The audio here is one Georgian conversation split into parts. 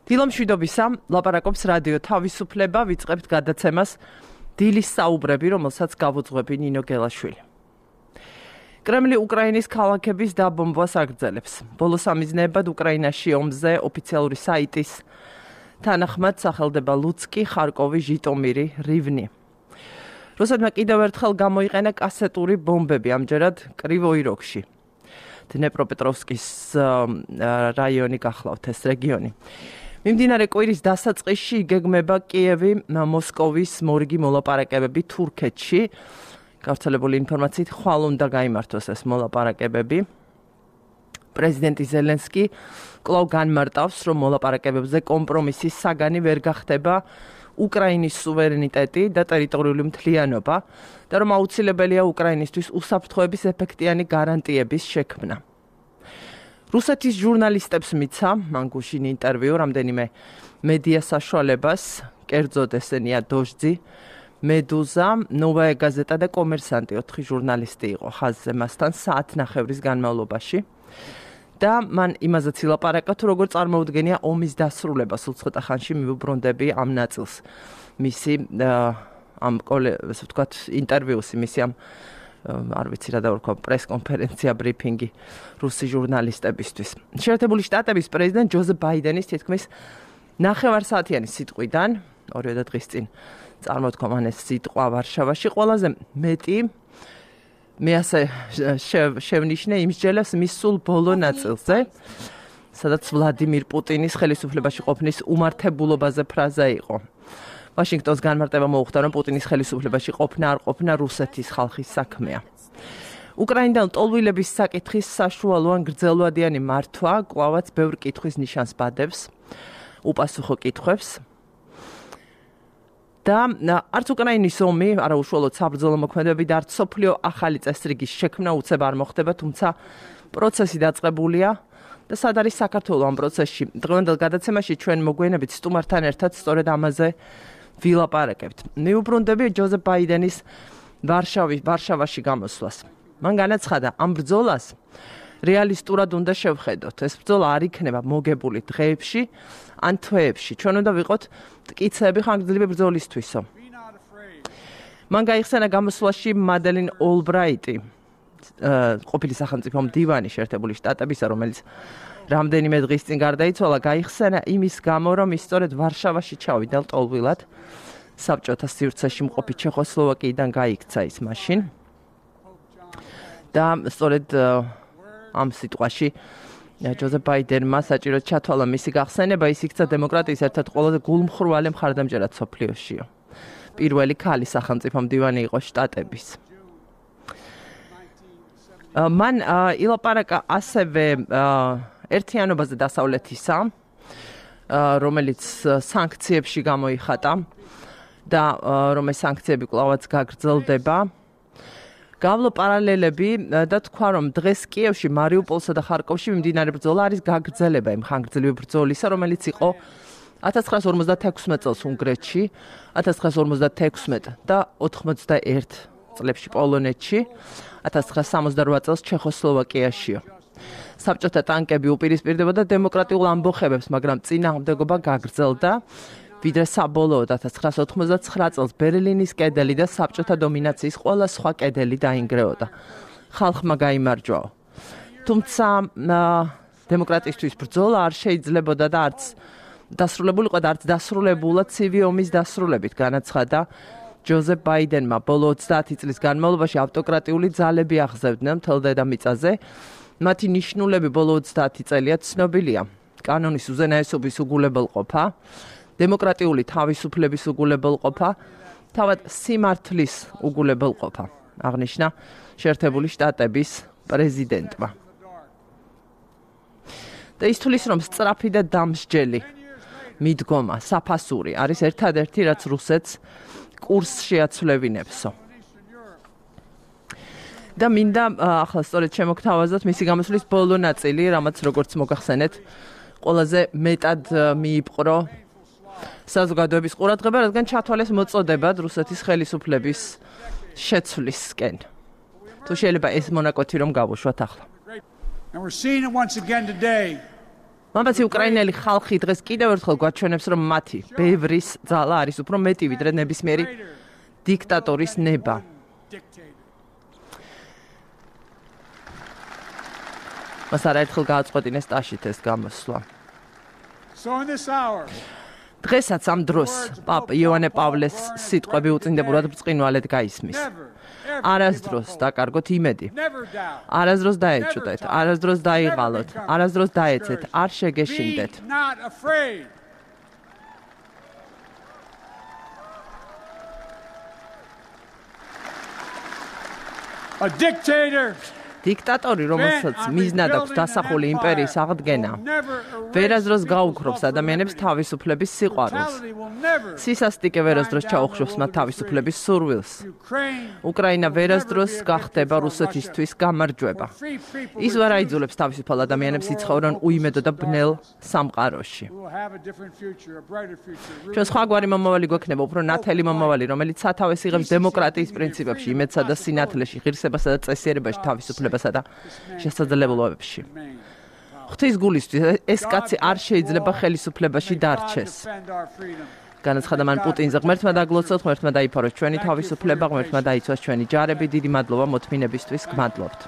დილომშვიდობისა, ლაპარაკობს რადიო თავისუფლება, ვიწყებთ გადაცემას დილის საუბრები, რომელსაც გავუძღვები ნინო გელაშვილი. კრემლი უკრაინის ქალაქების დაბომბვას აგრძელებს. ბოლო სამიზნეებად უკრაინაში ომზე ოფიციალური საიტის თანახმად სახელდება ლუცკი, ხარკოვი, ჟიტომირი, რივნი. რუსეთმა კიდევ ერთხელ გამოიყენა კასეტური ბომბები, ამჯერად კრივოი როგში. დნეპროპეტროვსკის რაიონი გახლავთ ეს რეგიონი. მიმდინარე კვირის დასაწყისში იგეგმება კიევი, მოსკოვის მორიგი მოლაპარაკებები თურქეთში. გავრცელებული ინფორმაციით ხვალ უნდა გაიმართოს ეს მოლაპარაკებები. პრეზიდენტი ზელენსკი კვლავ განმარტავს, რომ მოლაპარაკებებზე კომპრომისის საგანი ვერ გახდება უკრაინის სუვერენიტეტი და ტერიტორიული მთლიანობა და რომ აუცილებელია უკრაინისთვის უსაფრთხოების ეფექტიანი გარანტიების შექმნა. რუსეთის ჟურნალისტებს მიცა მან გუშინ ინტერვიუ რამდენიმე მედია საშუალებას, კერძოდ ესენია დოჟძი, მედუზა, ნოვაია გაზეტა და კომერსანტი 4 ჟურნალისტი იყო ხაზზე მასთან საათნახევრის განმავლობაში. და მან იმაზეც ილაპარაკა, თუ როგორ წარმოუდგენია ომის დასრულება, სულ ცოტა ხანში მივუბრუნდები ამ ნაწილს. მისი ესე ვთქვათ, ინტერვიუსი, მისი ამ არ ვიცი რა დავარქვა, პრეს-კონფერენცია, ბრიფინგი რუსი ჟურნალისტებისთვის. შეერთებული შტატების პრეზიდენტ ჯოზეფ ბაიდენის თითქმის ნახევარსაათიანი სიტყვიდან, 2 დღის წინ წარმოთქვა მან ეს სიტყვა ვარშავაში, ყველაზე მეტი მე ასე შევნიშნე იმსჯელებს მის სულ ბოლო ნაწილზე, სადაც ვლადიმირ პუტინის ხელისუფლებაში ყოფნის უმართებულობაზე ფრაზა იყო. ვაშინგტონს განმარტება მოუხდა, რომ პუტინის ხელისუფლებაში ყოფნა არ ყოფნა რუსეთის ხალხის საქმეა. უკრაინიდან ლტოლვილების საკითხის საშუალო ან გრძელვადიანი მართვა კვლავაც ბევრ კითხვის ნიშანს ბადებს, უპასუხო კითხვებს. და არც უკრაინის ომი, არა უშუალოდ საბრძოლო მოქმედებები და არც სოფლიო ახალი წესრიგის შექმნა უცებ არ მოხდება, თუმცა პროცესი დაწყებულია და სად არის საქართველო ამ პროცესში. დღევანდელ გადაცემაში ჩვენ მოგვიანებით სტუმართან ერთად სწორედ ამაზე ვილაპარაკებთ. მივუბრუნდები ჯოზეფ ბაიდენის ვარშავაში გამოსვლას. მან განაცხადა, ამ ბრძოლას რეალისტურად უნდა შევხედოთ. ეს ბრძოლა არ იქნება მოგებული დღეებში ან თვეებში. ჩვენ უნდა ვიყოთ მტკიცეები ხანგრძლივი ბრძოლისთვისო. მან გაიხსენა გამოსვლაში მადელინ ოლბრაიტი, ყოფილი სახელმწიფო მდივანი შეერთებული შტატებისა, რომელიც რამდენიმე დღის წინ გარდაიცვალა, გაიხსენა იმის გამო, რომ ის სწორედ ვარშავაში ჩავიდა ლტოლვილად, საბჭოთა სივრცეში მყოფი ჩეხოსლოვაკიიდან გაიქცა ის მაშინ. და სწორედ ამ სიტყვაში ჯოზეფ ბაიდენმა საჭიროდ ჩათვალა მისი გახსენება, ის იქცა დემოკრატიის ერთ-ერთ ყველაზე გულმხრვალე მხარდამჭერად სოფლიოშიო. პირველი ქალი სახელმწიფო მდივანი იყო შტატების. მან ილაპარაკა ასევე ერთიანობაზე დასავლეთისა, რომელიც სანქციებში გამოიხატა და რომ ეს სანქციები კვლავაც გაგრძელდება. გავლო პარალელები და თქვა, რომ დღეს კიევში, მარიუპოლსა და ხარკოვში მიმდინარე ბრძოლა არის გაგრძელება იმ ხანგრძლივი ბრძოლისა, რომელიც იყო 1956 წელს უნგრეთში, 1956 და 91 წლებში პოლონეთში, 1968 წელს ჩეხოსლოვაკიაშიო. საბჭოთა ტანკები უპირისპირდებოდა დემოკრატიულ ამბოხებებს, მაგრამ წინააღმდეგობა გაგრძელდა, ვიდრე საბოლოოდ 1989 წელს ბერლინის კედელი და საბჭოთა დომინაციის ყველა სხვა კედელი დაინგრეოდა. ხალხმა გაიმარჯვაო. თუმცა დემოკრატიისთვის ბრძოლა არ შეიძლებოდა და არც დასრულებულიყო და არც დასრულებულა ცივი ომის დასრულებით, განაცხადა ჯოზეფ ბაიდენმა. ბოლო 30 წლის განმავლობაში ავტოკრატიული ძალები აღზევდნენ მთელ დედამიწაზე. მათი ნიშნულები ბოლო 30 წელია ცნობილია. კანონის უზენაესობის უგულებელყოფა, დემოკრატიული თავისუფლების უგულებელყოფა, თავად სიმართლის უგულებელყოფა, აღნიშნა შეერთებული შტატების პრეზიდენტმა. და ის თulis, რომ სწრაფი და დამსჯელი მიდგომა, საფასური არის ერთადერთი, რაც რუსეთს კურსს შეაცვლევინებსო. და მინდა ახლა სწორედ შემოგთავაზოთ მისი გამოსვლის ბოლო ნაწილი, რამაც როგორც მოგახსენეთ, ყველაზე მეტად მიიპყრო საზოგადოების ყურადღება, რადგან ჩათვალეს მოწოდებად რუსეთის ხელისუფლების შეცვლისკენ. შეიძლება ეს მონაკვეთი რომ გავუშვათ ახლა. And we're seeing it once again today მამაცი უკრაინელი ხალხი დღეს კიდევ ერთხელ გვაჩვენებს, რომ მათი ბევრის ძალა არის უფრო მეტი ვიდრე ნებისმიერი დიქტატორის ნება. მას არაერთხელ გააწყვეტინეს ტაშით ეს გამოსვლა. დღესაც ამ დროს პაპ იოანე პავლეს სიტყვები უწინდებურად ბრწყინვალედ გაისმის. არასდროს დაკარგოთ იმედი. არასდროს დაეჭვდეთ, არასდროს დაიღალოთ, არასდროს დაეცეთ, არ შეგეშინდეთ. A dictator დიქტატორი, რომელსაც მიზნად აქვს დასახული იმპერიის აღდგენა, ვერასდროს გაუქრობს ადამიანებს თავისუფლების სიყვარულს. სისასტიკე ვერასდროს ჩაუხშობს მათ თავისუფლების სურვილს. უკრაინა ვერასდროს გახდება რუსეთისთვის გამარჯვება. ის ვერ აიძულებს თავისუფალ ადამიანებს იცხოვრონ უიმედო და ბნელ სამყაროში. ჩვენ სხვაგვარი მომავალი გვექნება, უფრო ნათელი მომავალი, რომელიც სათავეს იღებს დემოკრატიის პრინციპებში, იმედსა და სინათლეში, ღირსებასა და წესიერებაში, თავისუფლებასა და შესაძლებლობებში. ღვთის გულისთვის ეს კაცი არ შეიძლება ხელისუფლებაში დარჩეს. განაცხადა მან პუტინზე, ღმერთმა დაგლოცოთ, ღმერთმა დაიფაროს ჩვენი თავისუფლება, ღმერთმა დაიცვას ჩვენი ჯარები, დიდი მადლობა მოთმინებისთვის, გმადლობთ.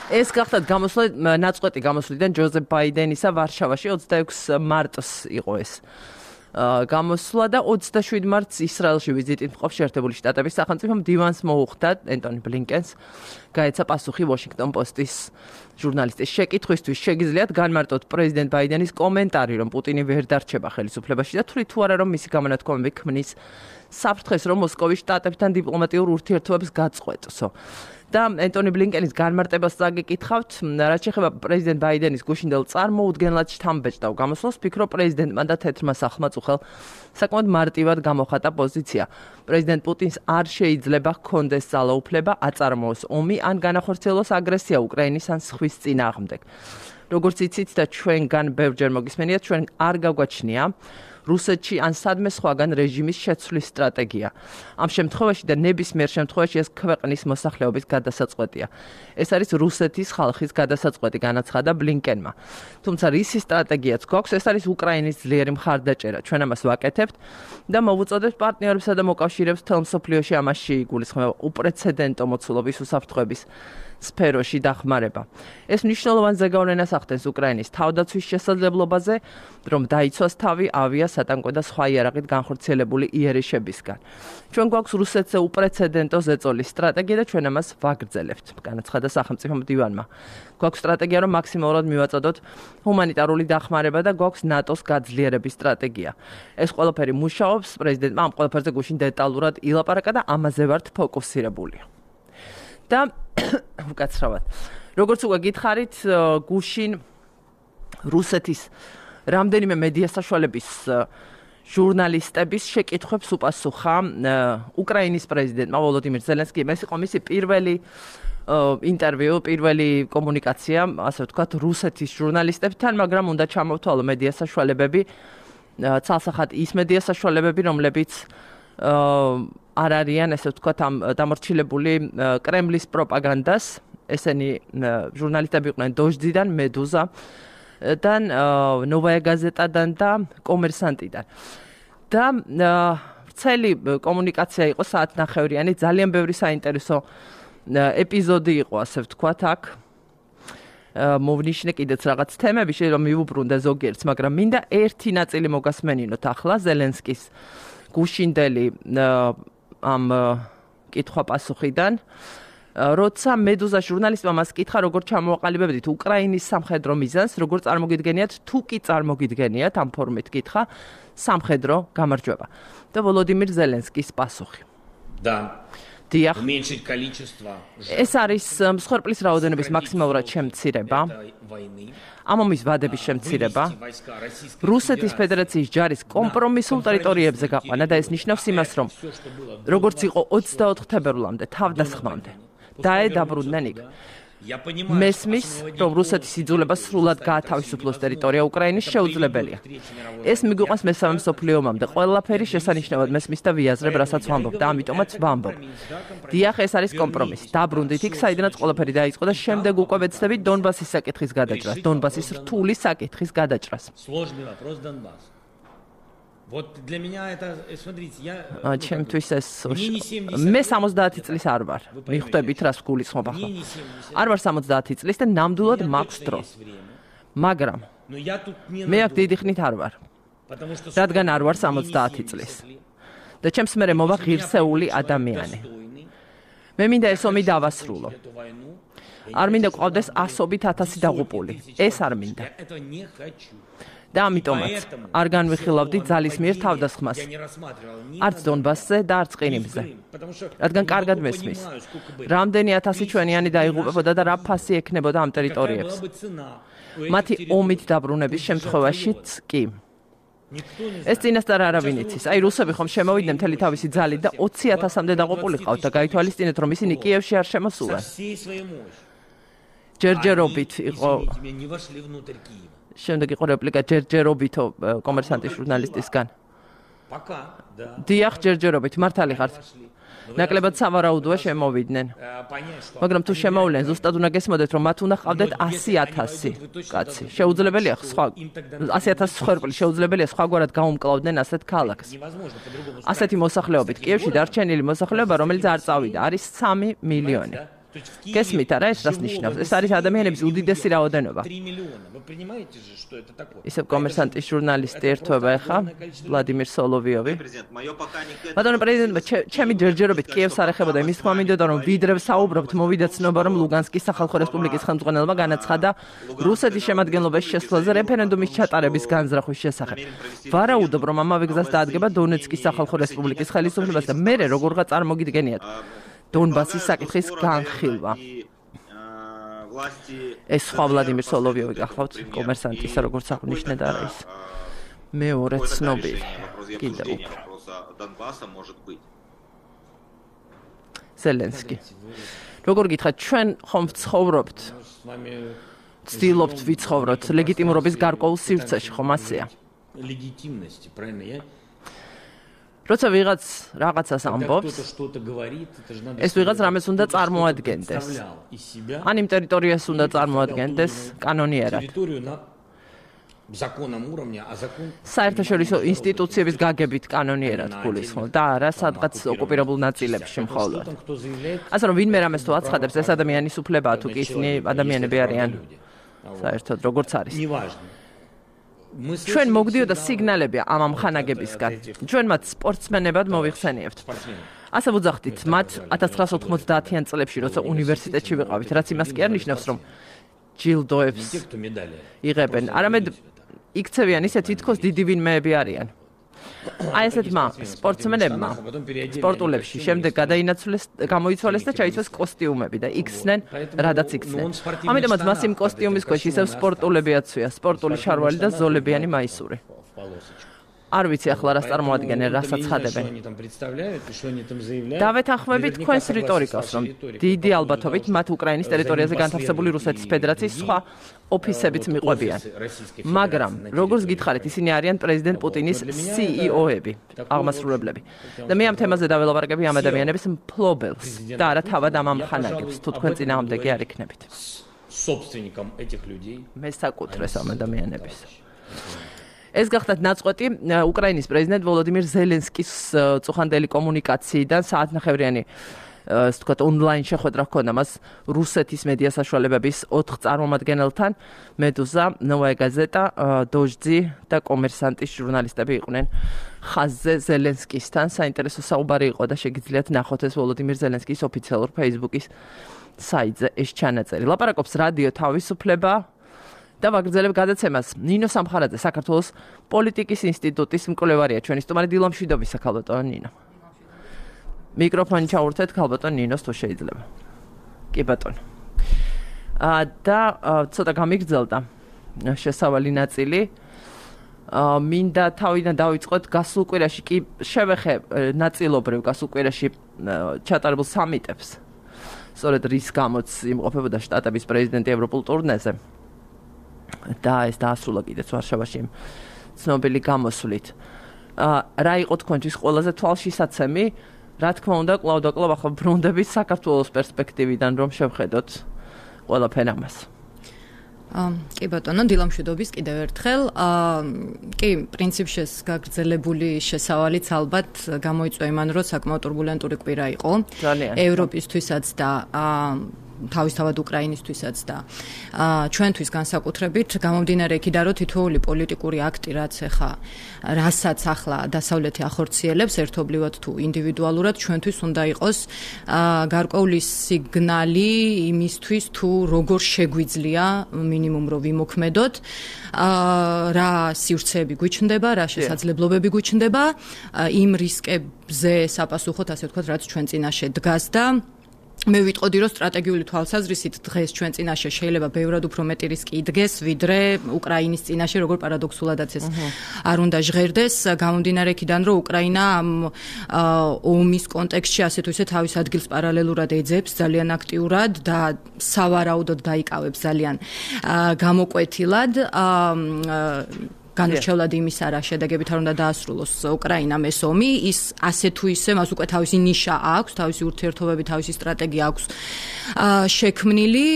ეს გახდათ გამოსვლა ნაწყვეტი გამოსვლიდან ჯოზეფ ბაიდენისა ვარშავაში 26 მარტს იყო ეს. გამოსვლა და 27 მარტს ისრაელში ვიზიტით მყოფ შეერთებული შტატების სახელმწიფო მდივანს მოუხდა ენტონი ბლინკენს გაეცა პასუხი ვაშინგტონ პოსტის ჟურნალისტის შეკითხვისთვის შეგიძლიათ განმარტოთ პრეზიდენტ ბაიდენის კომენტარი, რომ პუტინი ვერ დარჩება ხელისუფლებაში და თუ არა რომ მისი გამონათქვამები ქმნის საფრთხეს, რომ მოსკოვის შტატებთან დიპლომატიურ ურთიერთობებს გაწყვეტსო. და ენტონი ბლინკენის განმარტებას წაგიკითხავთ, რაც შეეხება პრეზიდენტ ბაიდენის გუშინდელ წარმოუდგენლად შთამბეჭდავ გამოსვლას, ფიქრობ პრეზიდენტმა და თეთრმა სახლმა წუხელ საკმაოდ მარტივად გამოხატა პოზიცია. პრეზიდენტ პუტინს არ შეიძლება ჰქონდეს ძალაუფლება აწარმოოს ომი ან განახორციელოს აგრესია უკრაინის ან სხვის წინააღმდეგ. როგორც იცით და ჩვენგან ბევრჯერ მოგისმენიათ, ჩვენ არ გაგვაჩნია რუსეთში ან სადმე სხვაგან რეჟიმის შეცვლის სტრატეგია. ამ შემთხვევაში და ნებისმიერ შემთხვევაში ეს ქვეყნის მოსახლეობის გადასაწყვეტია. ეს არის რუსეთის ხალხის გადასაწყვეტი, განაცხადა ბლინკენმა. თუმცა რისი სტრატეგიაც გვაქვს, ეს არის უკრაინის ძლიერი მხარდაჭერა. ჩვენ ამას ვაკეთებთ და მოვუწოდებთ პარტნიორებსა და მოკავშირეებს მთელ მსოფლიოში ამაში იგულისხმება უპრეცედენტო მოცულობის უსაფრთხოების სფეროში დახმარება. ეს მნიშვნელოვან ზეგავლენას ახდენს უკრაინის თავდაცვის შესაძლებლობაზე, რომ დაიცვას თავი ავია, სატანკო და სხვა იარაღით განხორციელებული იერიშებისგან. ჩვენ გვაქვს რუსეთზე უპრეცედენტო ზეწოლის სტრატეგია და ჩვენ ამას ვაგრძელებთ, განაცხადა სახელმწიფო მდივანმა. გვაქვს სტრატეგია, რომ მაქსიმალურად მივაწოდოთ ჰუმანიტარული დახმარება და გვაქვს ნატოს გაძლიერების სტრატეგია. ეს ყველაფერი მუშაობს, პრეზიდენტმა ამ ყველაფერზე გუშინ დეტალურად ილაპარაკა და ამაზე ვართ ფოკუსირებული. და უკაცრავად. როგორც უკვე გითხარით, გუშინ რუსეთის რამდენიმე მედია საშუალების ჟურნალისტების შეკითხვებს უპასუხა უკრაინის პრეზიდენტმა ვოლოდიმირ ზელენსკიმ. ეს იყო მისი პირველი ინტერვიუ, პირველი კომუნიკაცია, ასე ვთქვათ, რუსეთის ჟურნალისტებთან, მაგრამ უნდა ჩამოვთვალო მედია საშუალებები, ცალსახად ის მედია საშუალებები, რომლებიც არ არიან, ესე ვთქვათ, ამ დამორჩილებული კრემლის პროპაგანდას. ესენი ჟურნალისტები იყვნენ დოჟდიდან, მედუზადან, ნოვაია გაზეტადან და კომერსანტიდან. და ვრცელი კომუნიკაცია იყო საათნახევრიანი, ძალიან ბევრი საინტერესო ეპიზოდი იყო, ასე ვთქვათ, აქ. მოვნიშნე კიდეც რაღაც თემები, შეიძლება მივუბრუნდე ზოგიერთს, მაგრამ მინდა ერთი ნაწილი მოგასმენინოთ ახლა ზელენსკის გუშინდელი ამ კითხვა-პასუხიდან. როცა მედუზა ჟურნალისტმა მას კითხა, როგორ ჩამოვაყალიბებდით უკრაინის სამხედრო მიზანს, როგორ წარმოგიდგენიათ, თუ კი წარმოგიდგენიათ, ამ ფორმით კითხა, სამხედრო გამარჯვება. და ვოლოდიმირ ზელენსკის პასუხი. დიახ. ეს არის მსხვერპლის რაოდენობის მაქსიმალურად შემცირება. ამ ომის ვადების შემცირება. რუსეთის ფედერაციის ჯარის კომპრომისულ ტერიტორიებზე გაყვანა და ეს ნიშნავს იმას, რომ როგორც იყო 24 თებერვლამდე, თავდასხმამდე, დაედაბრუნდნენ იქ მესმის, რომ რუსეთის იძულება სრულად გაათავისუფლოს ტერიტორია უკრაინის შეუძლებელია. ეს მიგვიყვანს მესამე მსოფლიო ომამდე. ყველაფერი შესანიშნავად მესმის და ვიაზრებ, რასაც ვამბობ და ამიტომაც ვამბობ. დიახ, ეს არის კომპრომისი. დაბრუნდით იქ, საიდანაც ყველაფერი დაიწყო და შემდეგ უკვე ვეცდებით დონბასის საკითხის გადაჭრას, დონბასის რთული საკითხის გადაჭრას. Вот для меня это, смотрите, я ჩემთვის ეს მე 70 წლის არ ვარ. მიხვდებით რას გულისხმობ ახლა. არ ვარ 70 წლის და ნამდვილად მაქვს დრო. მაგრამ მე აქ დიდი ხნით არ ვარ. რადგან არ ვარ 70 წლის. და ჩემს მერე მოვა ღირსეული ადამიანი. მე მინდა ეს ომი დავასრულო. არ მინდა ყავდეს ასობით ათასი დაღუპული. ეს არ მინდა. და ამიტომაც არ განვიხილავდი ძალის მიერ თავდასხმას. არც დონბასზე და არც ყირიმზე. რადგან კარგად მესმის. რამდენი ათასი ჩვენიანი დაიღუპებოდა და რა ფასი ექნებოდა ამ ტერიტორიებს. მათი ომით დაბრუნების შემთხვევაშიც კი. ეს წინასწარ არავინ იცის. აი რუსები ხომ შემოვიდნენ მთელი თავისი ძალით და 20,000-მდე დაღუპული ყავთ და გაითვალისწინეთ რომ ისინი კიევში არ შემოსულან. ჯერჯერობით იყო შემდეგ იყო რეპლიკა ჯერჯერობითო კომერსანტის ჟურნალისტისგან. დიახ, ჯერჯერობით მართალი ხართ. ნაკლებად სავარაუდოა შემოვიდნენ. მაგრამ თუ შემოვლენ, ზუსტად უნდა გესმოდეთ, რომ მათ უნდა ყავდეთ 100,000 კაცი. შეუძლებელია სხვა 100,000 სხერპლი შეუძლებელია სხვაგვარად გაუმკლავდნენ ასეთ ქალაქს. ასეთი მოსახლეობით კიევში დარჩენილი მოსახლეობა, რომელიც არ წავიდა, არის 3 მილიონი. გესმით არა ეს რას ნიშნავს? ეს არის ადამიანების უდიდესი რაოდენობა. ისევ კომერსანტის ჟურნალისტი ერთვება ახლა ვლადიმირ სოლოვიოვი. ბატონო პრეზიდენტმა ჩემი ჯერჯერობით კიევს არ ეხებოდა იმის თქმა მინდოდა რომ ვიდრე საუბრობთ მოვიდა ცნობა რომ ლუგანსკის სახალხო რესპუბლიკის ხელმძღვანელმა განაცხადა რუსეთის შემადგენლობაში შესვლაზე რეფერენდუმის ჩატარების განზრახვის შესახებ. ვარაუდობ რომ ამავე გზას დაადგება დონეცკის სახალხო რესპუბლიკის ხელისუფლებას და მერე როგორღა წარმოგიდგენიათ დონბასის საკითხის განხილვა. ეს სხვა ვლადიმირ სოლოვიოვი გახლავთ კომერსანტისა როგორც აღნიშნე და რა ის მეორე ცნობილი კიდევ უფრო ზელენსკი როგორ გითხრათ ჩვენ ხომ ვცხოვრობთ ცდილობთ ვიცხოვროთ ლეგიტიმურობის გარკვეულ სივრცეში ხომ ასეა როცა ვიღაც რაღაცას ამბობს, ეს ვიღაც რამეს უნდა წარმოადგენდეს. ან იმ ტერიტორიას უნდა წარმოადგენდეს კანონიერად. საერთაშორისო ინსტიტუციების გაგებით კანონიერად გულისხმობ და არა სადღაც ოკუპირებულ ნაწილებში მხოლოდ. ასე რომ ვინმე რამეს თუ აცხადებს, ეს ადამიანის უფლებაა, თუ კი ისინი ადამიანები არიან. საერთოდ როგორც არის. ჩვენ მოგდიოდა სიგნალები ამ ამხანაგებისგან. ჩვენ მათ სპორტსმენებად მოვიხსენიებთ. ასე ვუძახდით მათ 1990-იან წლებში, როცა უნივერსიტეტში ვიყავით, რაც იმას კი არ ნიშნავს, რომ ჯილდოებს იღებენ. არამედ იქცევიან ისე თითქოს დიდი ვინმეები არიან. აი ესეთმა სპორტსმენებმა სპორტულებში შემდეგ გამოიცვალეს და ჩაიცვეს კოსტიუმები და იქცნენ, რადაც იქცნენ. ამიტომაც მას იმ კოსტიუმის ქვეშ ისევ სპორტულები აცვია, სპორტული შარვალი და ზოლებიანი მაისური. არ ვიცი ახლა რას წარმოადგენენ, რასაც ხადებენ. დავეთანხმებით თქვენს რიტორიკას, რომ დიდი ალბათობით მათ უკრაინის ტერიტორიაზე განთავსებული რუსეთის ფედერაციის სხვა ოფისებიც მიყვებიან. მაგრამ, როგორც გითხარით, ისინი არიან პრეზიდენტ პუტინის CEO-ები, აღმასრულებლები. და მე ამ თემაზე დაველაპარაკები ამ ადამიანების მფლობელს და არა თავად ამ ამხანაგებს, თუ თქვენ წინააღმდეგი არ იქნებით. მე საკუთრეს ამ ადამიანების. ეს გახდათ ნაწყვეტი უკრაინის პრეზიდენტ ვოლოდიმირ ზელენსკის წუხანდელი კომუნიკაციიდან საათნახევრიანი ასე ვთქვათ ონლაინ შეხვედრა ჰქონდა მას რუსეთის მედია საშუალებების 4 წარმომადგენელთან მედუზა, ნოვაია გაზეტა, დოჟძი და კომერსანტის ჟურნალისტები იყვნენ ხაზზე ზელენსკისთან. საინტერესო საუბარი იყო და შეგიძლიათ ნახოთ ეს ვოლოდიმირ ზელენსკის ოფიციალურ Facebook-ის საიტზე ეს ჩანაწერი. ლაპარაკობს რადიო თავისუფლება და ვაგრძელებ გადაცემას. ნინო სამხარაძე, საქართველოს პოლიტიკის ინსტიტუტის მკვლევარია, ჩვენი სტუმარი დილა მშვიდობისა, ქალბატონო ნინო. მიკროფონი ჩაურთეთ ქალბატონ ნინოს თუ შეიძლება. კი ბატონო. და ცოტა გამიგრძელდა შესავალი ნაწილი. მინდა თავიდან დავიწყოთ გასულ კვირაში კი შევეხე ნაწილობრივ გასულ კვირაში ჩატარებულ სამიტებს. სწორედ რის გამოც იმყოფებოდა შტატების პრეზიდენტი ევროპულ ტურნეზე. და ეს დაასრულა კიდეც ვარშავაში ცნობილი გამოსვლით. რა იყო თქვენთვის ყველაზე თვალშისაცემი? რა თქმა უნდა, კლავ და კლავ ახლა ბრუნდებით საქართველოს პერსპექტივიდან რომ შევხედოთ ყველაფერ ამას. კი ბატონო, დილამშვიდობის კიდევ ერთხელ. კი, პრინციპში გაგრძელებული შესავალიც ალბათ გამოიწვია იმან, რომ საკმაოდ турბულენტური კვირა იყო ევროპისთვისაც და თავისთავად უკრაინისთვისაც და ჩვენთვის განსაკუთრებით გამომდინარე იქიდან, რომ თითოეული პოლიტიკური აქტი, რასაც ახლა დასავლეთი ახორციელებს ერთობლივად თუ ინდივიდუალურად, ჩვენთვის უნდა იყოს გარკვეული სიგნალი იმისთვის, თუ როგორ შეგვიძლია მინიმუმ რომ ვიმოქმედოთ, რა სივრცეები გვიჩნდება, რა შესაძლებლობები გვიჩნდება იმ რისკებზე საპასუხოდ, ასე ვთქვათ, რაც ჩვენ წინაშე დგას და მე ვიტყოდი, რომ სტრატეგიული თვალსაზრისით დღეს ჩვენ წინაშე შეიძლება ბევრად უფრო მეტი რისკი იდგეს, ვიდრე უკრაინის წინაშე, როგორ პარადოქსულადაც ეს არ უნდა ჟღერდეს, გამომდინარე იქიდან, რომ უკრაინა ამ ომის კონტექსტში ასე თუ ისე თავის ადგილს პარალელურად ეძებს ძალიან აქტიურად და სავარაუდოდ დაიკავებს ძალიან გამოკვეთილად განურჩევლად იმის არა შედეგებით არ უნდა დაასრულოს უკრაინამ ეს ომი, ის ასე თუ ისე მას უკვე თავისი ნიშა აქვს, თავისი ურთიერთობები, თავისი სტრატეგია აქვს შექმნილი,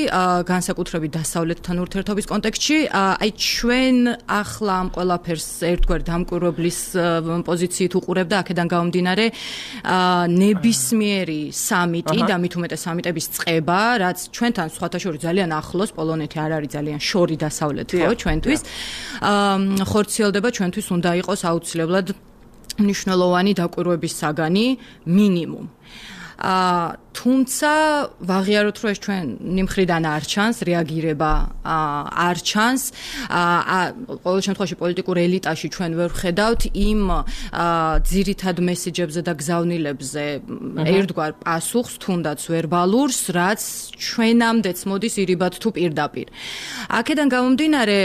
განსაკუთრებით დასავლეთთან ურთიერთობის კონტექსტში. აი ჩვენ ახლა ამ ყველაფერს ერთგვარ დამკვირვებლის პოზიციით უყურებდა, აქედან გამომდინარე ნებისმიერი სამიტი და მით უმეტეს სამიტების წყება, რაც ჩვენთან სხვათა შორის ძალიან ახლოს, პოლონეთი არ არის ძალიან შორი დასავლეთი ხო ჩვენთვის. ხორციელდება ჩვენთვის უნდა იყოს აუცილებლად მნიშვნელოვანი დაკვირვების საგანი მინიმუმ. თუმცა ვაღიაროთ, რომ ეს ჩვენი მხრიდან არ ჩანს, რეაგირება არ ჩანს. ყოველ შემთხვევაში პოლიტიკურ ელიტაში ჩვენ ვერ ვხედავთ იმ ძირითად მესიჯებზე და გზავნილებზე ერთგვარ პასუხს, თუნდაც ვერბალურს, რაც ჩვენამდეც მოდის ირიბად თუ პირდაპირ. აქედან გამომდინარე,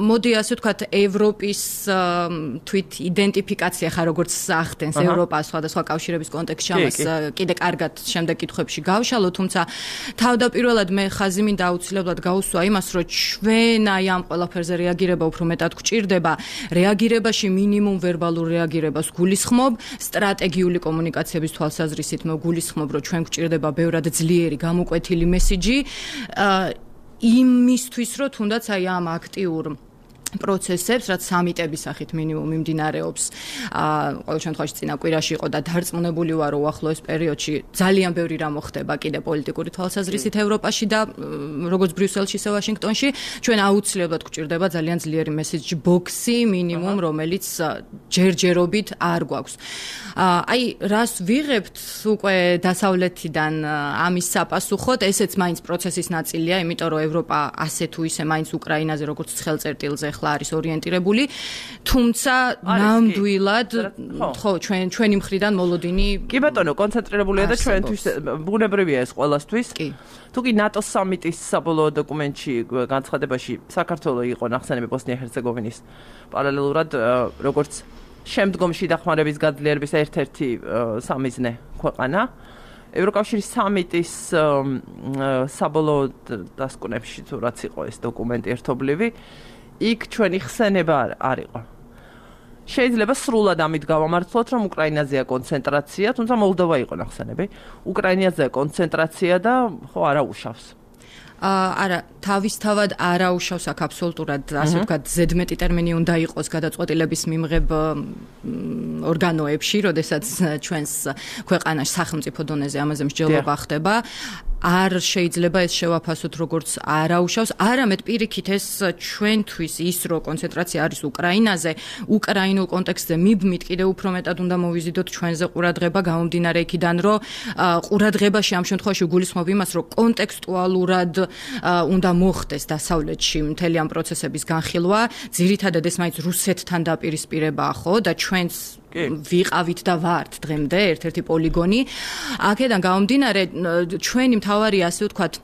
მოდი ასე ვთქვათ, ევროპის თვით იდენტიფიკაცია ხარ როგორც ახდენს ევროპა სხვადასხვა კავშირების კონტექსტში ამას კიდე კარგად შემდეგ კითხვებში გავშალო, თუმცა თავდაპირველად მე ხაზი მინდა აუცილებლად გაუსვა იმას, რომ ჩვენ აი ამ ყველაფერზე რეაგირება უფრო მეტად გვჭირდება, რეაგირებაში მინიმუმ ვერბალურ რეაგირებას გულისხმობ, სტრატეგიული კომუნიკაციების თვალსაზრისით მე გულისხმობ, რომ ჩვენ გვჭირდება ბევრად ძლიერი გამოკვეთილი მესიჯი იმისთვის, რომ თუნდაც აი ამ აქტიურ პროცესებს, რაც სამიტების სახით მინიმუმ მიმდინარეობს, ყოველ შემთხვევაში წინა კვირაში იყო და დარწმუნებული ვარ, რომ უახლოეს პერიოდში ძალიან ბევრი რამ მოხდება კიდე პოლიტიკური თვალსაზრისით ევროპაში და როგორც ბრიუსელში, ისე ვაშინგტონში, ჩვენ აუცილებლად გვჭირდება ძალიან ძლიერი მესეჯ ბოქსი მინიმუმ, რომელიც ჯერჯერობით არ გვაქვს. აი, რას ვიღებთ უკვე დასავლეთიდან ამის საპასუხოდ, ესეც მაინც პროცესის ნაწილია, იმიტომ რომ ევროპა ასე თუ ისე მაინც უკრაინაზე როგორც ცხელწერტილზე არის ორიენტირებული, თუმცა ნამდვილად ხო ჩვენი მხრიდან მოლოდინი კი ბატონო კონცენტრირებულია და ჩვენთვის ბუნებრივია ეს ყველასთვის. თუ კი ნატოს სამიტის საბოლოო დოკუმენტში განცხადებაში საქართველო იყო ნახსენები ბოსნია-ჰერცეგოვინის პარალელურად როგორც შემდგომში დახმარების გაძლიერების ერთ-ერთი სამიზნე ქვეყანა. ევროკავშირის სამიტის საბოლოო დასკვნებში თუ რაც იყო ეს დოკუმენტი ერთობლივი იქ ჩვენი ხსენება არ იყო. შეიძლება სრულად ამით გავამართლოთ, რომ უკრაინაზეა კონცენტრაცია, თუმცა მოლდოვა იყო ნახსენები. უკრაინაზეა კონცენტრაცია და ხო არა უშავს. არა, თავისთავად არაუშავს აქ აბსოლუტურად, ასე ვთქვათ, ზედმეტი ტერმინი უნდა იყოს გადაწყვეტილების მიმღებ ორგანოებში, როდესაც ჩვენს ქვეყანაში სახელმწიფო დონეზე ამაზე მსჯელობა ხდება. არ შეიძლება ეს შევაფასოთ როგორც არაუშავს, არამედ პირიქით ეს ჩვენთვის ის რომ კონცენტრაცია არის უკრაინაზე, უკრაინულ კონტექსტზე მიბმით კიდევ უფრო მეტად უნდა მოვიზიდოთ ჩვენზე ყურადღება, გამომდინარე იქიდან რომ ყურადღებაში ამ შემთხვევაში გულისხმობ იმას, რომ კონტექსტუალურად უნდა მოხდეს დასავლეთში მთელი ამ პროცესების განხილვა, ძირითადად ეს მაინც რუსეთთან დაპირისპირებაა, ხო, და ჩვენს ვიყავით და ვართ დღემდე ერთ-ერთი პოლიგონი. აქედან გამომდინარე ჩვენი მთავარი ასე ვთქვათ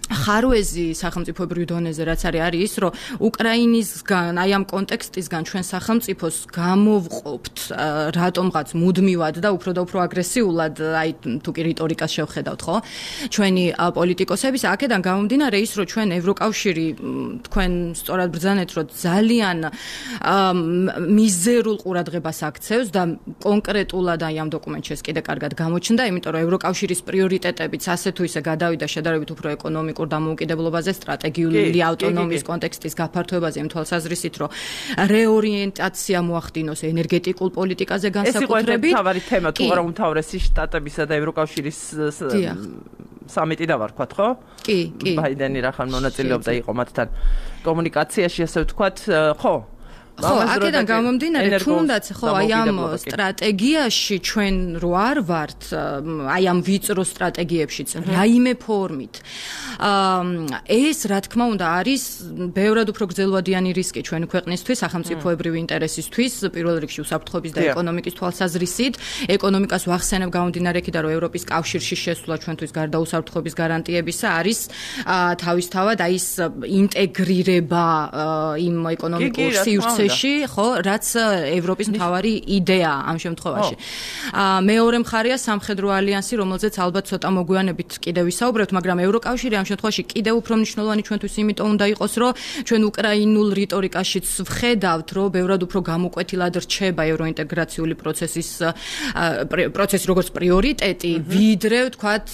ხარვეზი სახელმწიფოებრივ დონეზე რაც არის ის, რომ უკრაინისგან, აი ამ კონტექსტისგან ჩვენ სახელმწიფოს გამოვყოფთ რატომღაც მუდმივად და უფრო აგრესიულად, აი თუ კი რიტორიკას შევხედავთ, ხო? ჩვენი პოლიტიკოსების აქედან გამომდინარე ის, რომ ჩვენ ევროკავშირი თქვენ სწორად ბრძანეთ, რომ ძალიან მიზერულ ყურადღებას აქცევს და კონკრეტულად აი ამ დოკუმენტში ეს კიდე კარგად გამოჩნდა, იმიტომ რომ ევროკავშირის პრიორიტეტებიც ასე თუ ისე გადავიდა შედარებით უფრო ეკონომიკურ დამოუკიდებლობაზე, სტრატეგიული ავტონომიის კონტექსტის გაფართოებაზე იმ თვალსაზრისით, რომ რეორიენტაცია მოახდინოს ენერგეტიკულ პოლიტიკაზე განსაკუთრებით. ეს იყო თავარი თემა, თუ არა უმთავრესი შტატებისა და ევროკავშირის სამიტი დავარქვათ, ხო? კი. ბაიდენი რახან მონაწილეობდა იყო მათთან კომუნიკაციაში, ასე ვთქვათ, ხო? ხო, აქედან გამომდინარე, თუნდაც ხო, აი ამ სტრატეგიაში ჩვენ რო არ ვართ, აი ამ ვიწრო სტრატეგიებშიც, რაიმე ფორმით. ეს რა თქმა უნდა არის ბევრად უფრო გრძელვადიანი რისკი ჩვენი ქვეყნისთვის, სახელმწიფოებრივი ინტერესისთვის, პირველ რიგში უსაფრთხოების და ეკონომიკის თვალსაზრისით. ეკონომიკას ვახსენებ გამომდინარე იქიდან, რომ ევროპის კავშირში შესვლა ჩვენთვის გარდა უსაფრთხოების გარანტიებისა არის თავისთავად აი ეს ინტეგრირება იმ ეკონომიკურ სივრცეში, ხო, რაც ევროპის მთავარი იდეაა ამ შემთხვევაში. მეორე მხარეა სამხედრო ალიანსი, რომელზეც ალბათ ცოტა მოგვიანებით კიდევ ვისაუბრებთ, მაგრამ ევროკავშირი ამ შემთხვევაში კიდევ უფრო მნიშვნელოვანი ჩვენთვის იმიტომ უნდა იყოს, რომ ჩვენ უკრაინულ რიტორიკაშიც ვხედავთ, რომ ბევრად უფრო გამოკვეთილად რჩება ევროინტეგრაციული პროცესი როგორც პრიორიტეტი, ვიდრე ვთქვათ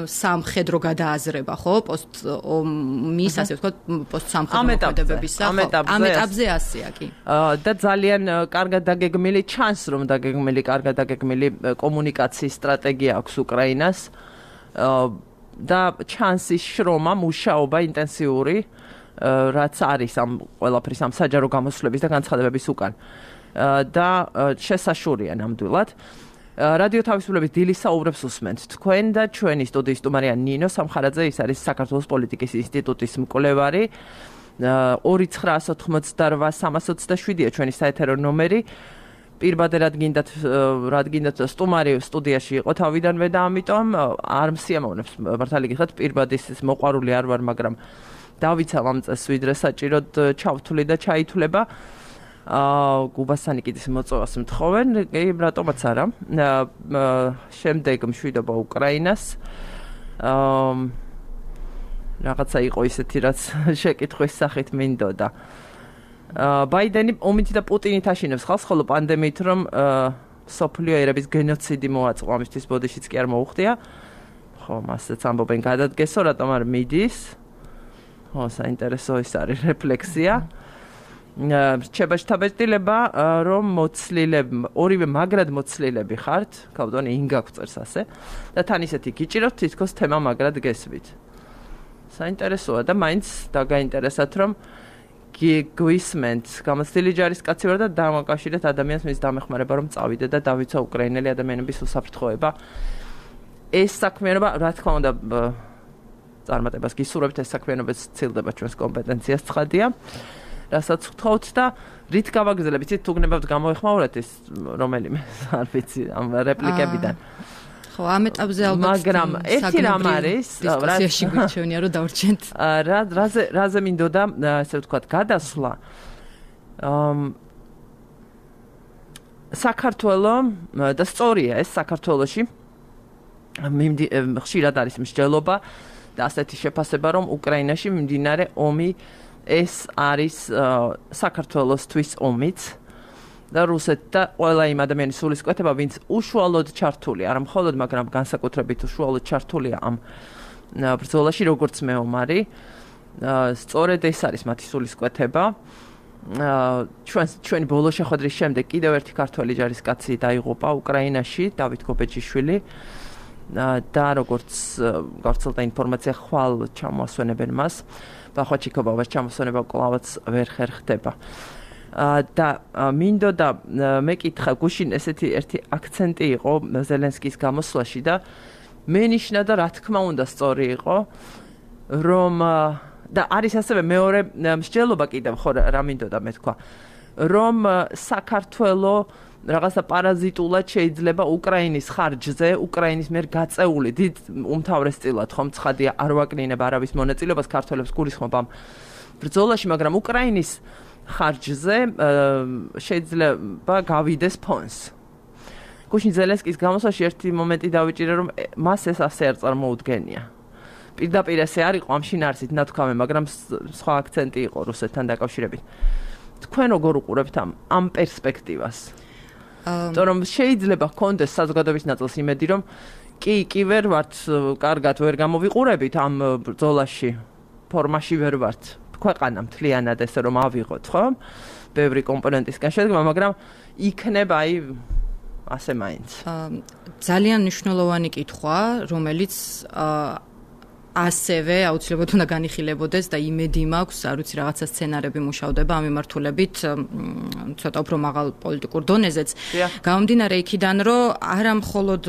სამხედრო გადააზრება, ხო, პოსტ-ომის, ასე ვთქვათ, პოსტ-სამხედრო მოქმედებებისა, ამ ეტაპზე ასეა. და ძალიან კარგად დაგეგმილი ჩანს, რომ კარგად დაგეგმილი კომუნიკაციის სტრატეგია აქვს უკრაინას და ჩანს ის შრომა, მუშაობა ინტენსიური, რაც არის ამ ყველაფრის ამ საჯარო გამოსვლების და განცხადებების უკან. და შესაშურია ნამდვილად. რადიო თავისუფლების დილის საუბრებს უსმენთ თქვენ და ჩვენი სტუდიის სტუმარია ნინო სამხარაძე, ის არის საქართველოს პოლიტიკის ინსტიტუტის მკვლევარი. 2988-327-ია ჩვენი საეთერო ნომერი. პირბადე რადგინდათ სტუმარი სტუდიაში იყო თავიდანვე და ამიტომ არ მსიამოვნებს მართალი გითხრათ პირბადის მოყვარული არ ვარ, მაგრამ დავიცავ ამ წელს ვიდრე საჭიროდ ჩავთვლი და ჩაითვლება. გუბასანიკიძის მოწვევას მთხოვენ, რატომაც არა. შემდეგ მშვიდობა უკრაინას. რაღაცა იყო ისეთი, რაც შეკითხვის სახით მინდოდა. ბაიდენი ომით და პუტინით აშინებს ხალხს, ხოლო პანდემიით რომ სოფლიო ერების გენოციდი მოაწყო, ამისთვის ბოდიშიც კი არ მოუხდია. ხო, მასეც ამბობენ გადადგესო, რატომ არ მიდის? ხო, საინტერესო ის არის რეფლექსია. რჩება შთაბეჭდილება, რომ ორივე მაგრად მოცლილები ხართ, კავდონი ინგა გვწერს ასე, და თან ისეთი გიჭიროთ, თითქოს თემა მაგრად გესვით. საინტერესოა და მაინც დაგაინტერესათ, რომ გვისმენთ გამოცდილი ჯარისკაცი ვარ და დამაკავშირეთ ადამიანს მის დამეხმარება, რომ წავიდე და დავიცვა უკრაინელი ადამიანების უსაფრთხოება. ეს საქმიანობა, რა თქმა უნდა, წარმატებას გისურვებთ, ეს საქმიანობა ცილდება ჩვენს კომპეტენციას, ცხადია. რასაც ვთხოვთ და რით გავაგრძელებ, იცით, თუ გნებავთ გამოეხმაურეთ ეს რომელიმე, არ ვიცი, ამ რეპლიკებიდან. ხო, ამ ეტაპზე ალბათ მაგრამ ერთი რამ არის, დისკუსიაში გვიჩვენია, რომ დავრჩენთ. რაზე მინდოდა, ასე ვთქვათ, გადასვლა. საქართველო და სწორია ეს საქართველოში ხშირად არის მსჯელობა და ასეთი შეფასება, რომ უკრაინაში მიმდინარე ომი ეს არის საქართველოსთვის ომიც და რუსეთ და ყველა იმ ადამიანის სულისკვეთება, ვინც უშუალოდ ჩართული, არა მხოლოდ, მაგრამ განსაკუთრებით უშუალოდ ჩართულია ამ ბრძოლაში, როგორც მეომარი. სწორედ ეს არის მათი სულისკვეთება. ჩვენი ბოლო შეხვედრის შემდეგ კიდევ ერთი ქართველი ჯარისკაცი დაიღუპა უკრაინაში, დავით გობეჯიშვილი. და როგორც გავრცელდა ინფორმაცია, ხვალ ჩამოასვენებენ მას. ბახვაჩიკოვას ჩამოსვენება კლავაც ვერ ხერხდება. და მინდოდა მეკითხა გუშინ ესეთი ერთი აქცენტი იყო ზელენსკის გამოსვლაში და მენიშნა და რა თქმა უნდა სწორი იყო, რომ და არის ასევე მეორე მსჯელობა კიდევ, ხო რა მინდოდა მე თქვა, რომ საქართველო რაღაცა პარაზიტულად შეიძლება უკრაინის ხარჯზე, უკრაინის მიერ გაწეული დიდ უმთავრესწილად ხომ ცხადია არ ვაკნინება არავის მონაწილეობას ქართველებს გულისხმობ ამ ბრძოლაში, მაგრამ უკრაინის ხარჯზე შეიძლება გავიდეს ფონს. გუშინ ზელენსკის გამოსვლაში ერთი მომენტი დავიჭირე, რომ მას ეს ასე არ წარმოუდგენია. პირდაპირ ესე არ იყო ამ შინაარსით ნათქვამი, მაგრამ სხვა აქცენტი იყო რუსეთთან დაკავშირებით. თქვენ როგორ უყურებთ ამ პერსპექტივას? რომ შეიძლება ჰქონდეს საზოგადოების ნაწილს იმედი, რომ კი ვერ ვართ, კარგად ვერ გამოვიყურებით ამ ბრძოლაში, ფორმაში ვერ ვართ. ქვეყანა მთლიანად ესე რომ ავიღოთ, ხო? ბევრი კომპონენტისგან შედგება, მაგრამ იქნება ასე მაინც. ძალიან მნიშვნელოვანი კითხვა, რომელიც ასევე აუცილებლად უნდა განიხილებოდეს და იმედი მაქვს, არ ვიცი, რაღაცა სცენარები მუშავდება ამ მიმართულებით, ცოტა უფრო მაღალ პოლიტიკურ დონეზეც. გამომდინარე იქიდან, რომ არა მხოლოდ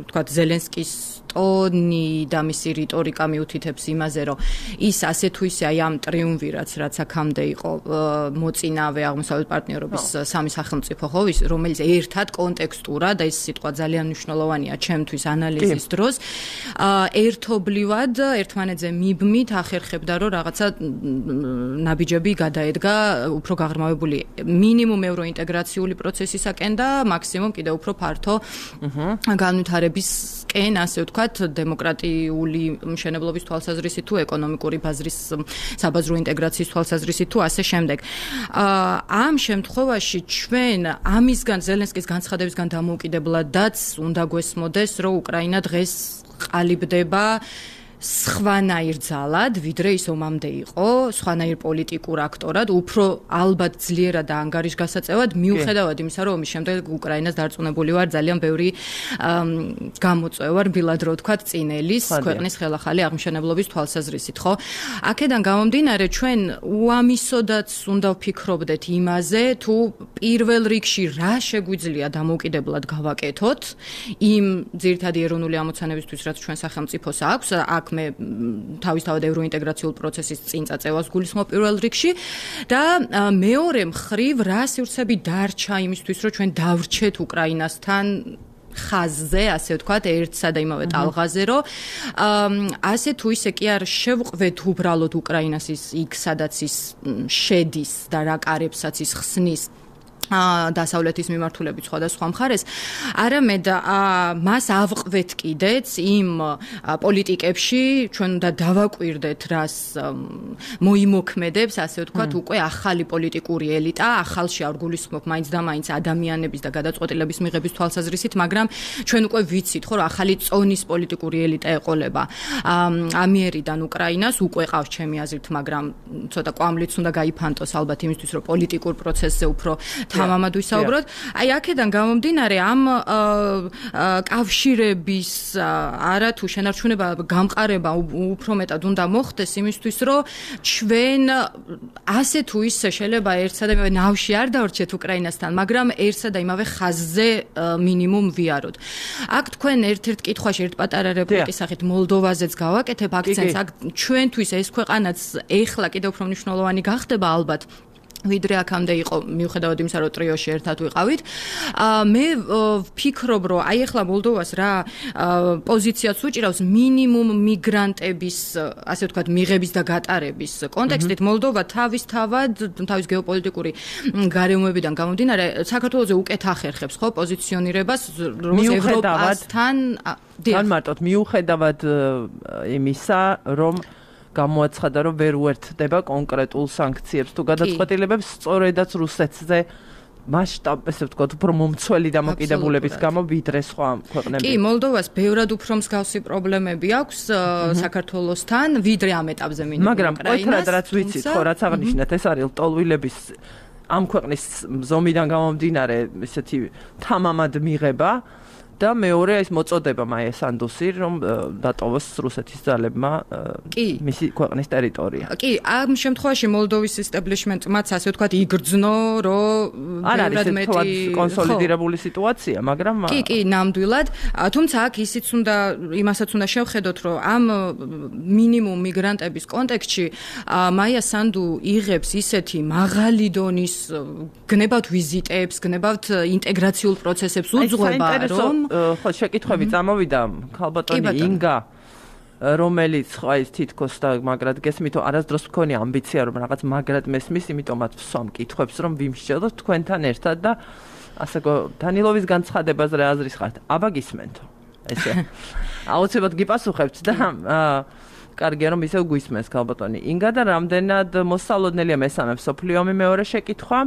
თქვა ზელენსკის ტონი და მისი რიტორიკა მიუთითებს იმაზე, რომ ის ასე თუ ისე აი ამ ტრიუმვირატს, რაც აქამდე იყო მოწინავე აღმოსავლეთ პარტნიორობის სამი სახელმწიფო, ხო, რომელიც ერთად კონტექსტურად და ეს სიტყვა ძალიან მნიშვნელოვანია ჩემთვის ანალიზის დროს, ერთობლივად ერთმანეთზე მიბმით ახერხებდა, რომ რაღაცა ნაბიჯები გადაედგა უფრო გაღრმავებული მინიმუმ ევროინტეგრაციული პროცესისაკენ და მაქსიმუმ კიდევ უფრო ფართო განვითარებისკენ, ასე ვთქვათ, დემოკრატიული მშენებლობის თვალსაზრისით თუ ეკონომიკური ბაზრის საბაზრო ინტეგრაციის თვალსაზრისით თუ ასე შემდეგ. ამ შემთხვევაში ჩვენ ამისგან ზელენსკის განცხადებისგან დამოუკიდებლადაც უნდა გვესმოდეს, რომ უკრაინა დღეს ყალიბდება სხვანაირ ძალად, ვიდრე ის ომამდე იყო, სხვანაირ პოლიტიკურ აქტორად, უფრო ალბათ ძლიერად და ანგარიშგასაწევად, მიუხედავად იმისა, რომ ომის შემდეგ უკრაინას დარწმუნებული ვარ, ძალიან ბევრი გამოწვევა რბილად რო ვთქვათ წინელის ქვეყნის ხელახალი აღმშენებლობის თვალსაზრისით, ხო? აქედან გამომდინარე, ჩვენ უამისოდაც უნდა ვფიქრობდეთ იმაზე, თუ პირველ რიგში რა შეგვიძლია დამოუკიდებლად გავაკეთოთ იმ ძირითადი ეროვნული ამოცანებისთვის, რაც ჩვენ სახელმწიფოს აქვს, მე თავისთავად ევროინტეგრაციულ პროცესის წინ წაწევას გულისხმობ პირველ რიგში და მეორე მხრივ რა სივრცეები დარჩა იმისთვის, რომ ჩვენ დავრჩეთ უკრაინასთან ხაზზე, ასე ვთქვათ, ერთსა და იმავე ტალღაზე, რომ ასე თუ ისე კი არ შევყვეთ უბრალოდ უკრაინას იქ, სადაც ის შედის და რა კარებსაც ის ხსნის დასავლეთის მიმართულებით სხვადასხვა მხარეს, არამედ მას ავყვეთ კიდეც იმ პოლიტიკებში, ჩვენ უნდა დავაკვირდეთ, რას მოიმოქმედებს, ასე ვთქვათ, უკვე ახალი პოლიტიკური ელიტა, ახალში არ გულისხმობ მაინც და მაინც ადამიანების და გადაწყვეტილების მიღების თვალსაზრისით, მაგრამ ჩვენ უკვე ვიცით, ხო, რომ ახალი წონის პოლიტიკური ელიტა ეყოლება ამიერიდან უკრაინას, უკვე ყავს ჩემი აზრით, მაგრამ ცოტა კვამლიც უნდა გაიფანტოს ალბათ იმისთვის, რომ პოლიტიკურ პროცესზე უფრო თამამად ვისაუბროთ. აი აქედან გამომდინარე ამ კავშირების არა თუ შენარჩუნება გამყარება უფრო მეტად უნდა მოხდეს იმისთვის, რომ ჩვენ ასე თუ ისე შეიძლება ერთსა და იმავე ნავში არ დავრჩეთ უკრაინასთან, მაგრამ ერთსა და იმავე ხაზზე მინიმუმ ვიაროთ. აქ თქვენ ერთ-ერთ კითხვაში ერთ პატარა რეპლიკის სახით მოლდოვაზეც გავაკეთებ აქცენტს. აქ ჩვენთვის ეს ქვეყანაც ეხლა კიდევ უფრო მნიშვნელოვანი გახდება ალბათ. ვიდრე აქამდე იყო, მიუხედავად იმისა, რომ ტრიოში ერთად ვიყავით. მე ვფიქრობ, რომ აი ახლა მოლდოვას რა პოზიციაც უჭირავს მინიმუმ მიგრანტების, ასე ვთქვათ, მიღების და გატარების კონტექსტით. მოლდოვა თავის გეოპოლიტიკური გარემოებიდან გამომდინარე, საქართველოზე უკეთ ახერხებს, ხო, პოზიციონირებას ევროპასთან. განმარტოთ, მიუხედავად იმისა, რომ გამოაცხადა, რომ ვერ უერთდება კონკრეტულ სანქციებს თუ გადაწყვეტილებებს, სწორედაც რუსეთზე მასშტაბზე ვთქვათ, უფრო მომცველი დამოკიდებულების გამო ვიდრე სხვა ქვეყნები. კი, მოლდოვას ბევრად უფრო მსგავსი პრობლემები აქვს საქართველოსთან, ვიდრე ამ ეტაპზე მინიმუმ მაგრამ ყოთრად რაც ვიცით, ხო, რაც აღნიშნეთ, ეს არის ლტოლვილების ამ ქვეყნის ზომიდან გამომდინარე, ესეთი თამამად მიღება და მეორე ის მოწოდება მაია სანდუსი, რომ დატოვოს რუსეთის ძალებმა მისი ქვეყნის ტერიტორია. კი, ამ შემთხვევაში მოლდოვის establishment-მაც ასე ვთქვათ იგრძნო, რომ არ არის თვალ კონსოლიდირებული სიტუაცია, მაგრამ კი, ნამდვილად. თუმცა აქ იმასაც უნდა შევხედოთ, რომ ამ მინიმუმ მიგრანტების კონტექსტში მაია სანდუ იღებს ისეთი მაღალი დონის გნებავთ ვიზიტებს, გნებავთ ინტეგრაციულ პროცესებს უძღვება, რომ ხო შეკითხვები წამოვიდა ქალბატონი ინგა რომელიც ხო ის თითქოს და მაგრად გესმით არასდროს მქონია ამბიცია რომ რაღაც მაგრად მესმის იმიტომაც ვსვამ კითხვებს რომ ვიმსჯელოთ თქვენთან ერთად და ასე დანილოვის განცხადებაზე რა აზრის ხართ აბა გისმენთო ესე აუცილებლად გიპასუხებთ და კარგია რომ ისევ გვისმენს ქალბატონი ინგა და რამდენად მოსწავლოდნელია მესამე მსოფლიო ომი მეორე შეკითხვა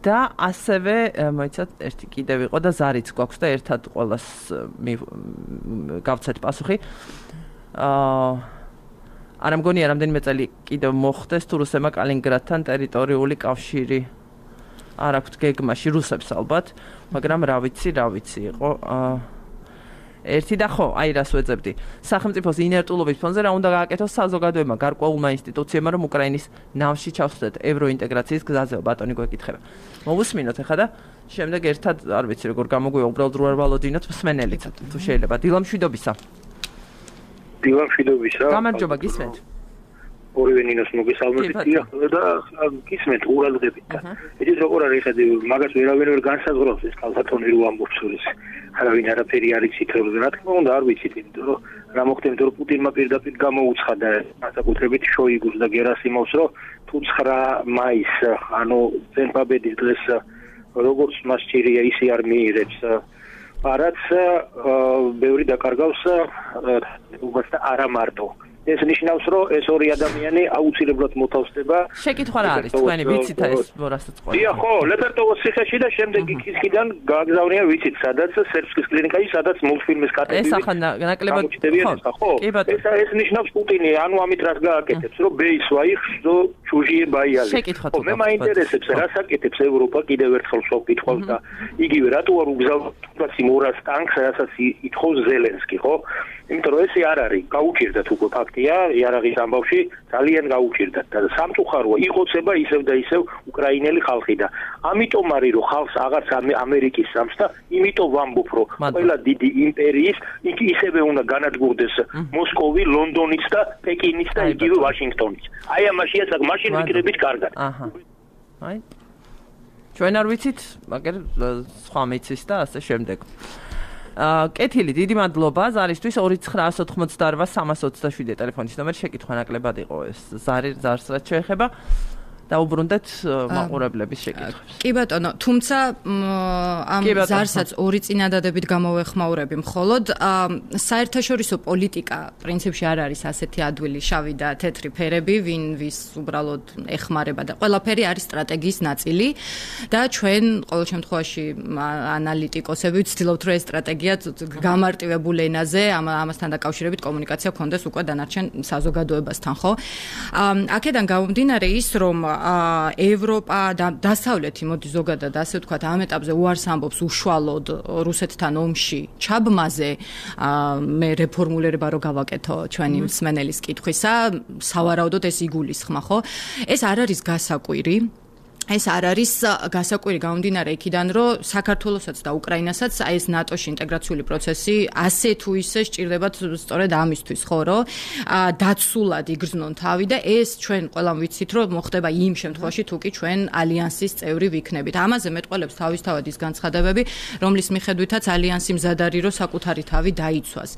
და ასევე მოიცათ ერთი კიდევ იყო და ზარიც გვაქვს და ერთად ყოველას გავცეთ პასუხი. არა მგონია რამდენიმე წელი კიდევ მოხდეს თუ რუსებმა კალინინგრადთან ტერიტორიული კავშირი არ აქვთ გეგმაში რუსებს ალბათ, მაგრამ რა ვიცი იყო ერთი და ხო, აი რას ვეძებდი. სახელმწიფოს ინერტულობის ფონზე რა უნდა გააკეთოს საზოგადოებმა, გარკვეულმა ინსტიტუციებმა, რომ უკრაინის ნავში ჩავსვდეთ ევროინტეგრაციის გზაზე, ბატონი გვეკითხება. მოვუსმინოთ ახლა და შემდეგ ერთად არ ვიცი როგორ გამოგვია, უბრალოდ რო არ ვალოდინოთ მსმენელიც, თუ შეიძლება. დილამშვიდობისა. გამარჯობა, გისმენთ. ორივე ნინოს მოგესალმებით და გისმენთ ყურადღებით. იცით როგორ არის ხედი, მაგას ვერავინ ვერ განსაზღვრავს ეს ქალბატონი რო ამბობს ეს. არავინ არაფერი არ იცით, რა თქმა უნდა არ ვიცით, იმიტომ რომ რა მოხდა, რომ პუტინმა პირდაპირ გამოუცხადა განსაკუთრებით შოიგუს და გერასიმოვს, რომ თუ 9 მაისს, ანუ წელფაბედის დღეს როგორც მას ჭირია, ისე არ მიიღებს პარადს, ბევრი დაკარგავს უბას და არა მარტო. ეს ნიშნავს, რომ ეს ორი ადამიანი აუცილებლად მოთავსდება. შეკითხვა რა არის თქვენი ვიცით ეს რასაც ყოლა. დიახ, ხო, ლეპერტოვოს ციხეში და შემდეგ იქისგან გააგზავნია ვიცით, სადაც სერბსკის კლინიკაში, სადაც მულტფილმის კატეგორიით. ეს ახლა ნაკლებად ხო. ეს ნიშნავს პუტინი, ანუ ამით რას გააკეთებს, რომ ბეის ვაიხს, რომ ჩუჟიე ბაიალი. ხო, მე მაინტერესებს, რას აკეთებს ევროპა კიდევ ერთხელ ვკითხავს და იგივე რატო არ უგზავნოს იმ 200 ტანკს, რასაც ითხოვს ზელენსკი, ხო? იმიტომ რომ ესე არ არის, გაუჭირდათ უკვე ფაქტია, იარაღის ამბავში ძალიან გაუჭირდათ და სამწუხაროა იყოცება ისევ და ისევ უკრაინელი ხალხი და ამიტომ არის რომ ხალხს აღარც ამერიკის სამს და იმიტომ ვამბობ რომ ყველა დიდი იმპერიის იქ ისევე უნდა განადგურდეს მოსკოვი, ლონდონიც და პეკინიც და იგივე ვაშინგტონიც. აი ამაშია საკ მაშინ ვიკრებით კარგად. აჰა. აი. ჩვენ არ ვიცით, მაგრამ სხვა მიცის და ასე შემდეგ. კეთილი, დიდი მადლობა ზარისთვის 2988327 ტელეფონის ნომერი შეკითხვა ნაკლებად იყო ეს ზარს რაც შეეხება დაუბრუნდეთ მაყურებლების შეკითხვებს. კი ბატონო, თუმცა ამ ზარსაც ორი წინადადებით გამოვეხმაურები მხოლოდ საერთაშორისო პოლიტიკა პრინციპში არ არის ასეთი ადვილი შავი და თეთრი ფერები, ვის უბრალოდ ეხმარება და ყველაფერი არის სტრატეგიის ნაწილი და ჩვენ ყოველ შემთხვევაში ანალიტიკოსები ვცდილობთ რომ ეს სტრატეგია გამარტივებულ ენაზე ამასთან დაკავშირებით კომუნიკაცია გქონდეს უკვე დანარჩენ საზოგადოებასთან, ხო? აქედან გამომდინარე ის რომ ევროპა და დასავლეთი მოდი ზოგადად ასე ვთქვათ ამ ეტაპზე უარს ამბობს უშუალოდ რუსეთთან ომში ჩაბმაზე მე რეფორმულირება რო გავაკეთო ჩვენი მსმენელის კითხვისა სავარაუდოდ ეს იგულისხმა ხო ეს არ არის გასაკვირი ეს არ არის გასაკვირი გამომდინარე იქიდან რომ საქართველოსაც და უკრაინასაც აი ეს ნატოში ინტეგრაციული პროცესი ასე თუ ისე სჭირდებათ სწორედ ამისთვის ხო რომ დაცულად იგრძნონ თავი და ეს ჩვენ ყველამ ვიცით რომ მოხდება იმ შემთხვევაში თუ კი ჩვენ ალიანსის წევრი ვიქნებით ამაზე მეტყველებს თავისთავად ის განცხადებები რომლის მიხედვითაც ალიანსი მზად არის რომ საკუთარი თავი დაიცვას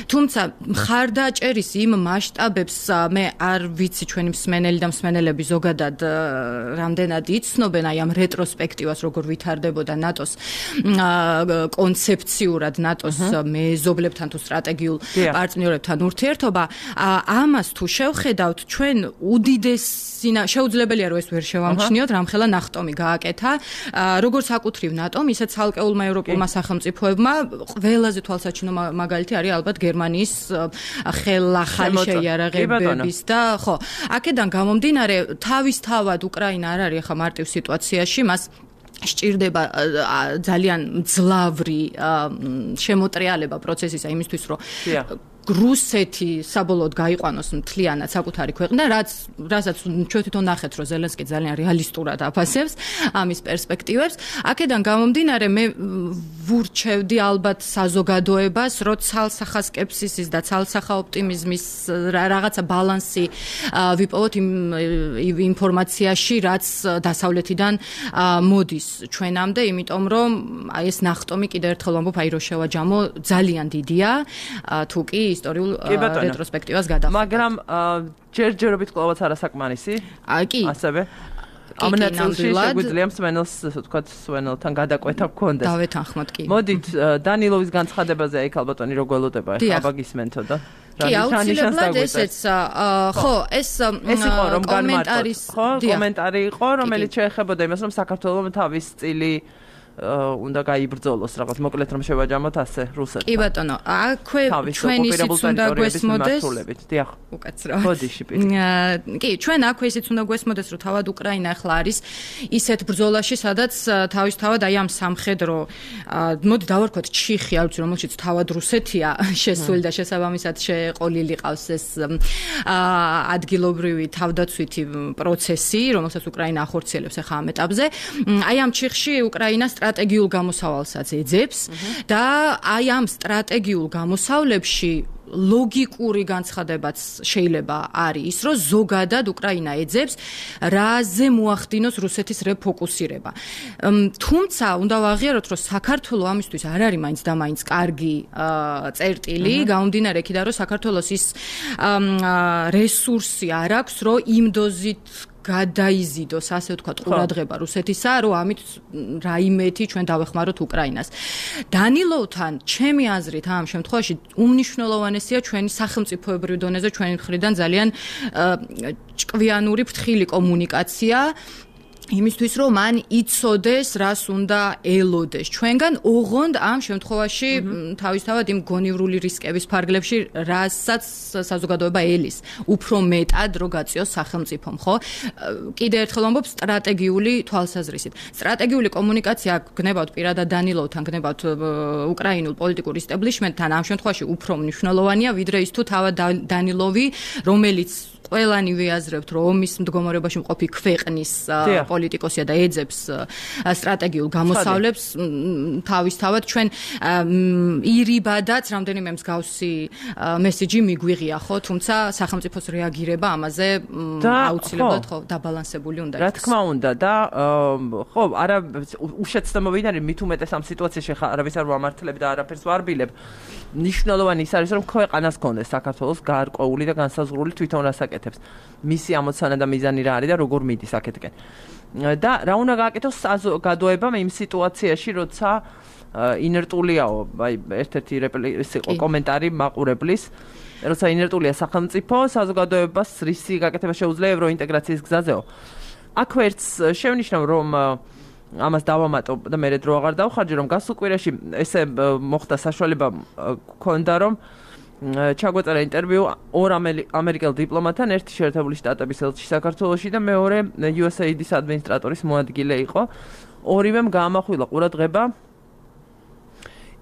თუმცა მხარდაჭერის იმ მასშტაბებს მე არ ვიცი ჩვენი მსმენელი და მსმენელები ზოგადად რამდენად იცნობენ აი ამ რეტროსპექტივას როგორ ვითარდებოდა ნატოს კონცეფციურად ნატოს მეზობლებთან თუ სტრატეგიულ პარტნიორებთან ურთიერთობა ამას თუ შევხედავთ ჩვენ შეუძლებელია რომ ეს ვერ შევამჩნიოთ რამხელა ნახტომი გააკეთა როგორც საკუთრივ ნატომ ისე ცალკეულმა ევროპულმა სახელმწიფოებმა ყველაზე თვალსაჩინო მაგალითი არის ალბათ გერმანიის ხელახალი შეიარაღებების და ხო აქედან გამომდინარე თავისთავად უკრაინა არ არის ახლა მარტივ სიტუაციაში მას სჭირდება ძალიან მძლავრი შემოტრიალება პროცესისა იმისთვის, რომ რუსეთი საბოლოოდ გაიყვანოს მთლიანად საკუთარი ქვეყნა, რასაც ჩვენ თვითონ ნახეთ, რომ ზელენსკი ძალიან რეალისტურად აფასებს ამის პერსპექტივებს. აქედან გამომდინარე, მე ვურჩევდი ალბათ საზოგადოებას, რომ ცალსახა სკეპსისის და ცალსახა ოპტიმიზმის რაღაცა ბალანსი ვიპოვოთ იმ ინფორმაციაში, რაც დასავლეთიდან მოდის ჩვენამდე, იმიტომ რომ აი ეს ნახტომი კიდევ ერთხელ ვამბობ, აი რო შევაჯამო, ძალიან დიდია, თუ კი ისტორიულ რეტროსპექტივას გადახდა. მაგრამ ჯერჯერობით კვლავაც არასაკმარისი? კი. ასევე ამ ნაწილში შეგვიძლია მსმენელს, თქვათ, მსმენელთან გადაკვეთა გქონდეს. დავეთანხმოთ კი. მოდით დანილოვის განცხადებაზე აი ალბათონი რო გველოდება, ახლა გისმენთო და კი, აუცილებლად ესეც, ხო, ეს იყო რომ განმარტოთ, ხო, კომენტარი იყო, რომელიც შეეხებოდა იმას, რომ საქართველოს თავის წილი უნდა გაიბრძოლოს რაღაც მოკლედ რომ შევაჯამოთ ასე რუსეთთან. კი ბატონო, აქვე ჩვენ ისიც უნდა გვესმოდეს. დიახ. უკაცრავად. ბოდიში პირ. კი, ჩვენ აქვე ისიც უნდა გვესმოდეს, რომ თავად უკრაინა ახლა არის ისეთ ბრძოლაში, სადაც თავისთავად აი ამ სამხედრო მოდი დავარქვათ ჩიხი, არ ვიცი რომელშიც თავად რუსეთია შესული და შესაბამისად შეყოლილი ყავს ეს ადგილობრივი თავდაცვითი პროცესი, რომელსაც უკრაინა ახორციელებს ახლა ამ ეტაპზე. აი ამ ჩიხში უკრაინა სტრატეგიულ გამოსავალსაც ეძებს და აი ამ სტრატეგიულ გამოსავლებში ლოგიკური განცხადებაც შეიძლება არის ის, რომ ზოგადად უკრაინა ეძებს, რაზე მოახდინოს რუსეთის რეფოკუსირება. თუმცა უნდა ვაღიაროთ, რომ საქართველოს ამისთვის არ არის მაინც და მაინც კარგი წერტილი, გამომდინარე იქიდან, რომ საქართველოს ის რესურსი არ აქვს, რომ იმ დოზით გადაიზიდოს, ასე ვთქვათ, ყურადღება რუსეთისა, რომ ამით რაიმეთი ჩვენ დავეხმაროთ უკრაინას. დანილოვთან, ჩემი აზრით, ამ შემთხვევაში უმნიშვნელოვანესია ჩვენი სახელმწიფოებრივ დონეზე ჩვენი მხრიდან ძალიან ჭკვიანური ფრთხილი კომუნიკაცია. იმისთვის რომ მან იცოდეს რას უნდა ელოდეს ჩვენგან ოღონდ ამ შემთხვევაში თავისთავად იმ გონივრული რისკების ფარგლებში რასაც საზოგადოება ელის უფრო მეტად რო გაწიოს სახელმწიფომ ხო კიდე ერთხელ ვამბობ სტრატეგიული თვალსაზრისით სტრატეგიული კომუნიკაცია გნებავთ პირადად დანილოვთან გნებავთ უკრაინულ პოლიტიკურ ისტაბლიშმენტთან ამ შემთხვევაში უფრო მნიშვნელოვანია ვიდრე ის თუ თავად დანილოვი რომელიც ყველანი ვიაზრებთ რომ ომის მდგომარეობაში მყოფი ქვეყნის პოლიტიკოსია და ეძებს სტრატეგიულ გამოსავლებს თავისთავად ჩვენ ირიბადაც რამდენიმე მსგავსი მესიჯი მიგვიღია ხო თუმცა სახელმწიფოს რეაგირება ამაზე აუცილებლად ხო დაბალანსებული უნდა იყოს რა თქმა უნდა და ხო არა უშეცდომობიდან არის მით უმეტეს ამ სიტუაციაში ხა არავის არ ვამართლებ და არაფერს ვარბილებ ნიშნულოვანი ის არის რომ ქვეყანას გქონდეს საქართველოს გარკვეული და განსაზღვრული თვითონ რასაკეთებს მისი ამოცანა და მიზანი რა არის და როგორ მიდის აქეთკენ და რა უნდა გააკეთოს საზოგადოებამ იმ სიტუაციაში როცა ინერტულიაო აი ერთ-ერთი იყო კომენტარი მაყურებლის როცა ინერტულია სახელმწიფო საზოგადოებას რისი გაკეთება შეუძლია ევროინტეგრაციის გზაზეო აქვე ერთს შევნიშნავ რომ ამას დავამატო და მე დრო აღარ დავხარჯე რომ გასულ კვირაში ესე მოხდა საშუალება ქონდა რომ ჩაგვეწერა ინტერვიუ ორ ამერიკელ დიპლომატთან ერთი შეერთებული შტატების ელჩი საქართველოში და მეორე USAID-ის ადმინისტრატორის მოადგილე იყო ორივემ გაამახვილა ყურადღება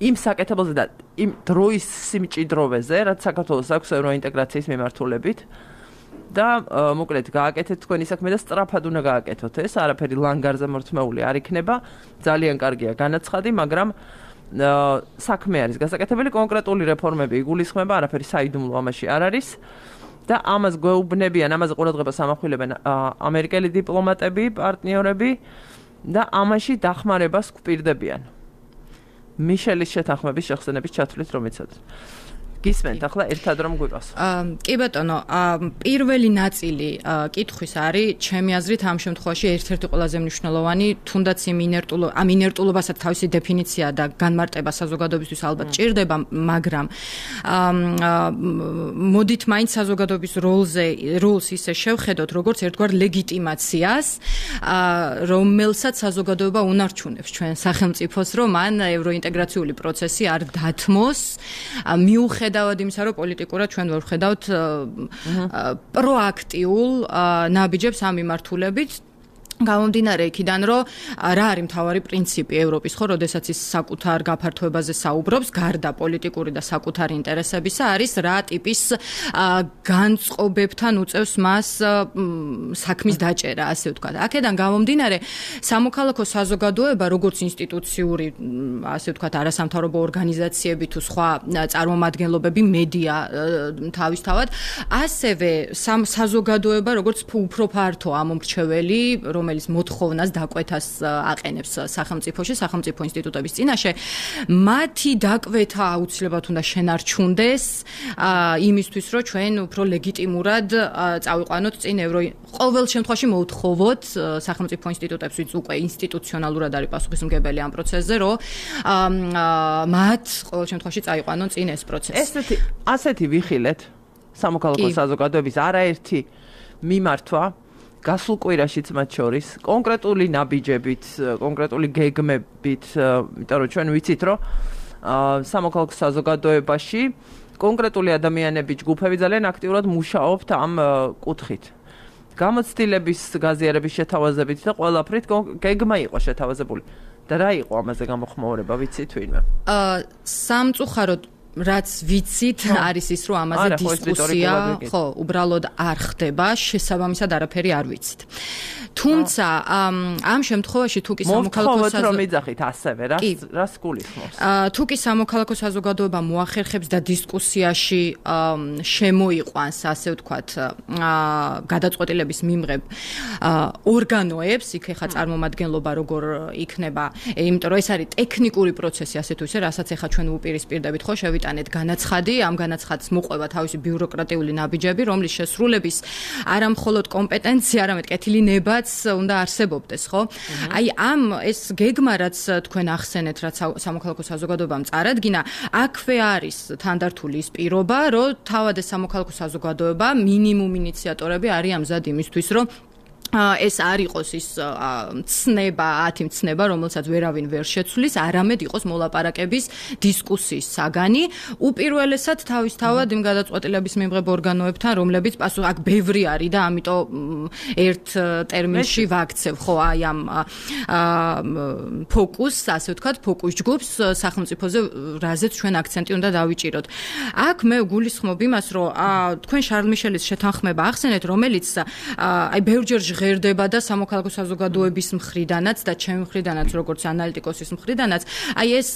იმ საკეთებაზე და იმ დროის სიმჭიდროვეზე რაც საქართველოს აქვს ევროინტეგრაციის მიმართულებით და მოკლედ გააკეთეთ თქვენი საქმე და სწრაფად უნდა გააკეთოთ ეს არაფერი ლანგარზე მორთმეული არ იქნება ძალიან კარგია განაცხადი მაგრამ საქმე არის გასაკეთებელი კონკრეტული რეფორმები იგულისხმება არაფერი საიდუმლო ამაში არ არის და ამას გვეუბნებიან ამაზე ყურადღებას ამახვილებენ ამერიკელი დიპლომატები პარტნიორები და ამაში დახმარებას გვპირდებიან მიშელის შეთანხმების შეხსენების ჩათვლით რომ იცოდეთ გისმენთ ახლა ერთად რომ გვიყავს. კი ბატონო, პირველი ნაწილი კითხვის არის, ჩემი აზრით ამ შემთხვევაში ერთ-ერთი ყველაზე მნიშვნელოვანი, თუნდაც იმ ინერტულობასაც თავისი დეფინიცია და განმარტება საზოგადოებისთვის ალბათ ჭირდება, მაგრამ მოდით მაინც საზოგადოების როლს ისე შევხედოთ, როგორც ერთგვარ ლეგიტიმაციას, რომელსაც საზოგადოება უნარჩუნებს ჩვენ სახელმწიფოს, რომ მან ევროინტეგრაციული პროცესი არ დათმოს, მიუხედავად იმისა, რომ პოლიტიკურად ჩვენ ვერ ვხედავთ პროაქტიულ ნაბიჯებს ამ მიმართულებით გამომდინარე იქიდან, რომ რა არის მთავარი პრინციპი ევროპის, ხო, როდესაც ის საკუთარ გაფართოებაზე საუბრობს, გარდა პოლიტიკური და საკუთარი ინტერესებისა, არის რა ტიპის განწყობებთან უწევს მას საქმის დაჭერა, ასე ვთქვათ. აქედან გამომდინარე, სამოქალაქო საზოგადოება, როგორც ინსტიტუციური, ასე ვთქვათ, არასამთავრობო ორგანიზაციები თუ სხვა წარმომადგენლობები, მედია თავისთავად, ასევე საზოგადოება, როგორც უფრო ფართო ამომრჩეველი, რომელიც მოთხოვნას დაკვეთას აყენებს სახელმწიფოში, სახელმწიფო ინსტიტუტების წინაშე, მათი დაკვეთა აუცილებლად უნდა შენარჩუნდეს იმისთვის, რომ ჩვენ უფრო ლეგიტიმურად წავიყვანოთ წინ ყოველ შემთხვევაში მოვთხოვოთ სახელმწიფო ინსტიტუტებს, ვინც უკვე ინსტიტუციონალურად არის პასუხისმგებელი ამ პროცესზე, რომ მათ ყოველ შემთხვევაში წაიყვანონ წინ ეს პროცესი. ასეთი ვიხილეთ სამოქალაქო საზოგადოების არაერთი მიმართვა გასულ კვირაშიც მათ შორის კონკრეტული ნაბიჯებით, კონკრეტული გეგმებით, იმიტომ რომ ჩვენ ვიცით, რომ სამოქალაქო საზოგადოებაში კონკრეტული ადამიანები, ჯგუფები ძალიან აქტიურად მუშაობთ ამ კუთხით. გამოცდილების გაზიარების შეთავაზებით და ყველაფრით გეგმა იყო შეთავაზებული. და რა იყო ამაზე გამოხმაურება, ვიცით ვინმე? სამწუხაროდ რაც ვიცით არის ის, რომ ამაზე დისკუსია, ხო, უბრალოდ არ ხდება, შესაბამისად არაფერი არ ვიცით. თუმცა ამ შემთხვევაში თუ კი სამოქალაქო საზოგადოება რომ იძახით ასევე, რას გულისხმობს? თუ კი სამოქალაქო საზოგადოება მოახერხებს და დისკუსიაში შემოიყვანს, ასე ვთქვათ, გადაწყვეტილების მიმღებ ორგანოებს, იქ ეხა წარმომადგენლობა როგორ იქნება, იმიტომ რომ ეს არის ტექნიკური პროცესი, ასე თუ ისე, რასაც ეხა ჩვენ უპირისპირდებით, ხო, შევიტანეთ განაცხადი, ამ განაცხადს მოყვება თავისი ბიუროკრატიული ნაბიჯები, რომლის შესრულების არა მხოლოდ კომპეტენცია, არამედ კეთილი ნება უნდა არსებობდეს, ხო? აი ამ ეს გეგმა, რაც თქვენ ახსენეთ, რაც სამოქალაქო საზოგადოებამ წარადგინა, აქვე არის თანდართული ის პირობა, რომ თავად ეს სამოქალაქო საზოგადოება მინიმუმ ინიციატორები არიან მზად იმისთვის, რომ ეს არ იყოს ის ცნება, 10 ცნება, რომელსაც ვერავინ ვერ შეცვლის, არამედ იყოს მოლაპარაკების დისკუსიის საგანი, უპირველესად თავისთავად იმ გადაწყვეტილების მიმღებ ორგანოებთან, რომლებიც პასუხ აქ ბევრი არის და ამიტომ ერთ ტერმინში ვაქცევ, ხო, აი ამ ფოკუსს, ასე ვთქვათ, ფოკუს ჯგუფს სახელმწიფოზე, რაზეც ჩვენ აქცენტი უნდა დავიჭიროთ. აქ მე გულისხმობ იმას, რომ თქვენ შარლ მიშელის შეთანხმება ახსენეთ, რომელიც აი ბევრჯერ ღერდება და სამოქალაქო საზოგადოების მხრიდანაც და ჩემი მხრიდანაც, როგორც ანალიტიკოსის მხრიდანაც, აი ეს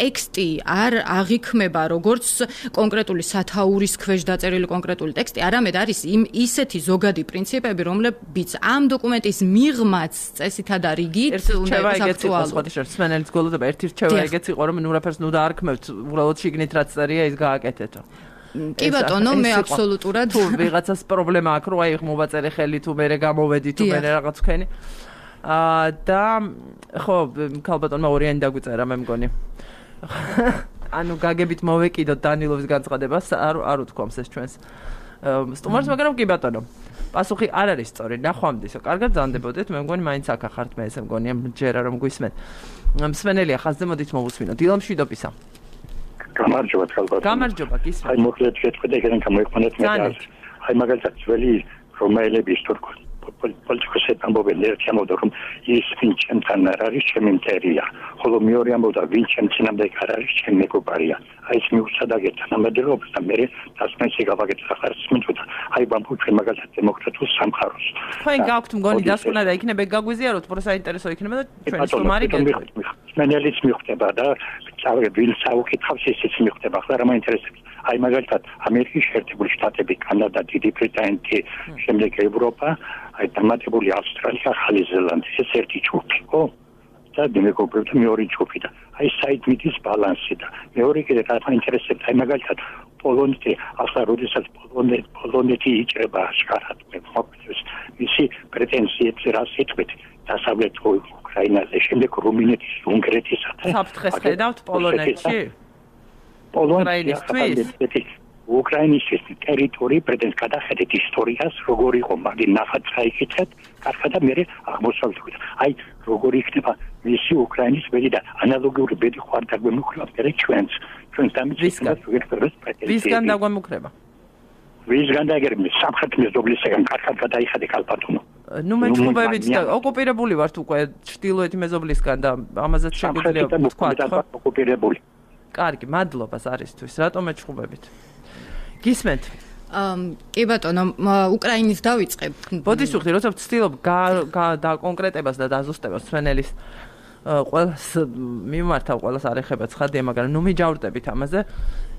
ტექსტი არ აღიქმება როგორც კონკრეტული სათაურის ქვეშ დაწერილი კონკრეტული ტექსტი, არამედ არის ისეთი ზოგადი პრინციპები, რომლებიც ამ დოკუმენტის მიღმაც წესითა და რიგით უნდა იყოს აქტუალური. სმენელის გოლოდება ერთი რჩევა ეგეც იყო, რომ ნურაფერს ნუ დაარქმევთ, უბრალოდ შიგნით რაც წერია ის გააკეთეთო. კი ბატონო, მე აბსოლუტურად თუ ვიღაცას პრობლემა აქვს, რომ აი მოვაწერე ხელი თუ მე გამოვედი თუ მე რაღაც ვქენი. და ხო, ქალბატონმა ორიანი დაგვიწერა, მე მგონი. ანუ გაგებით მოვეკიდოთ დანილოვის განცხადებას, არ უთქვამს ეს ჩვენს სტუმარს, მაგრამ კი ბატონო. პასუხი არ არის სწორი, ნახვამდისო. კარგად ზანდებოდეთ, მე მგონი მაინც აქ ახართ მე ესე მგონია ჯერა რომ გვისმენ. მსმენელია ხაზზე მოდით მოვუსმინოთ. დილამ შვიდობისა. გამარჯობა თალბატონო. გამარჯობა, გისმენთ. აი მოკლედ შეტყვით ეგრენ გამოიყვანეთ მე. აი მაგალითად ძველი რომაელების თურქ პოლიტიკოსები ამბობენ ერთი ამბობდა რომ ის ვინ ჩემთან არ არის ჩემი მტერია, ხოლო მეორე ამბობდა ვინ ჩემ წინამდე არ არის ჩემი მეგობარია. აი ეს მიუცადაგეთ თანამედროვეობას და მე დასმენში გავაკეთე ახარს მიწუდა. აი ვამბობ მაგალითად დემოკრატიულ სამყაროს. თქვენ გაქვთ მგონი დასკვნა და იქნება გაგვიზიაროთ, უფრო საინტერესო იქნება და ჩვენ სტუმარი გეტყვით. მენელის მიხვდება და ვინ საუკეთავს ისიც მიხვდება. ახლა რა მაინტერესებს? აი მაგალითად ამერიკის შეერთებული შტატები, კანადა, დიდი ბრიტანეთი, შემდეგ ევროპა, აი დამატებული ავსტრალია, ახალი ზელანდია, ეს ერთი ჯგუფი, ხო? და მეგობრებთან მეორე ჯგუფი და აი საიდმიტის ბალანსი და მეორე კიდე რა მაინტერესებს? აი მაგალითად პოლონეთი, ახლა როდესაც პოლონეთი იჭრება შკარად მეფობის მისი პრეტენზიებს რას ეთქვით დასავლეთ უკრაინაზე, შემდეგ რუმინეთის, უნგრეთისა და საფრთხეს ხედავთ პოლონეთში? უკრაინისთვის ტერიტორია პრეტენზ გადახედეთ ისტორიას, როგორ იყო მაგ ნახატს გაიქცეთ, კარგად და მე აღმოსავლეთ. აი როგორ იქნება მისი უკრაინის ბედი და ანალოგიური ბედი ხარ დაგვემუქრება მე ჩვენს დამიცინოთ ვისგან დაგვემუქრება? ვისგან დაიგერმე სამხრეთ მეზობლისგან კარგად გადაიხადე კალპატონო. ნუ მეჩხუბებით და ოკუპირებული ვართ უკვე ჩრდილოეთი მეზობლისგან და ამაზეც შეგვიძლია ვთქვათ, ხო? ოკუპირებული. კარგი, მადლობა არისთვის. რატომ მეჩხუბებით? გისმენთ? კი ბატონო, უკრაინის დავიწყებ. ბოდიშ ვხდი, როცა ვცდილობ და კონკრეტებას და დაზუსტებას სვენელის ყველას მიმართავ, ყველას არ ეხება ცხადია, მაგრამ ნუ მიჯავრდებით ამაზე.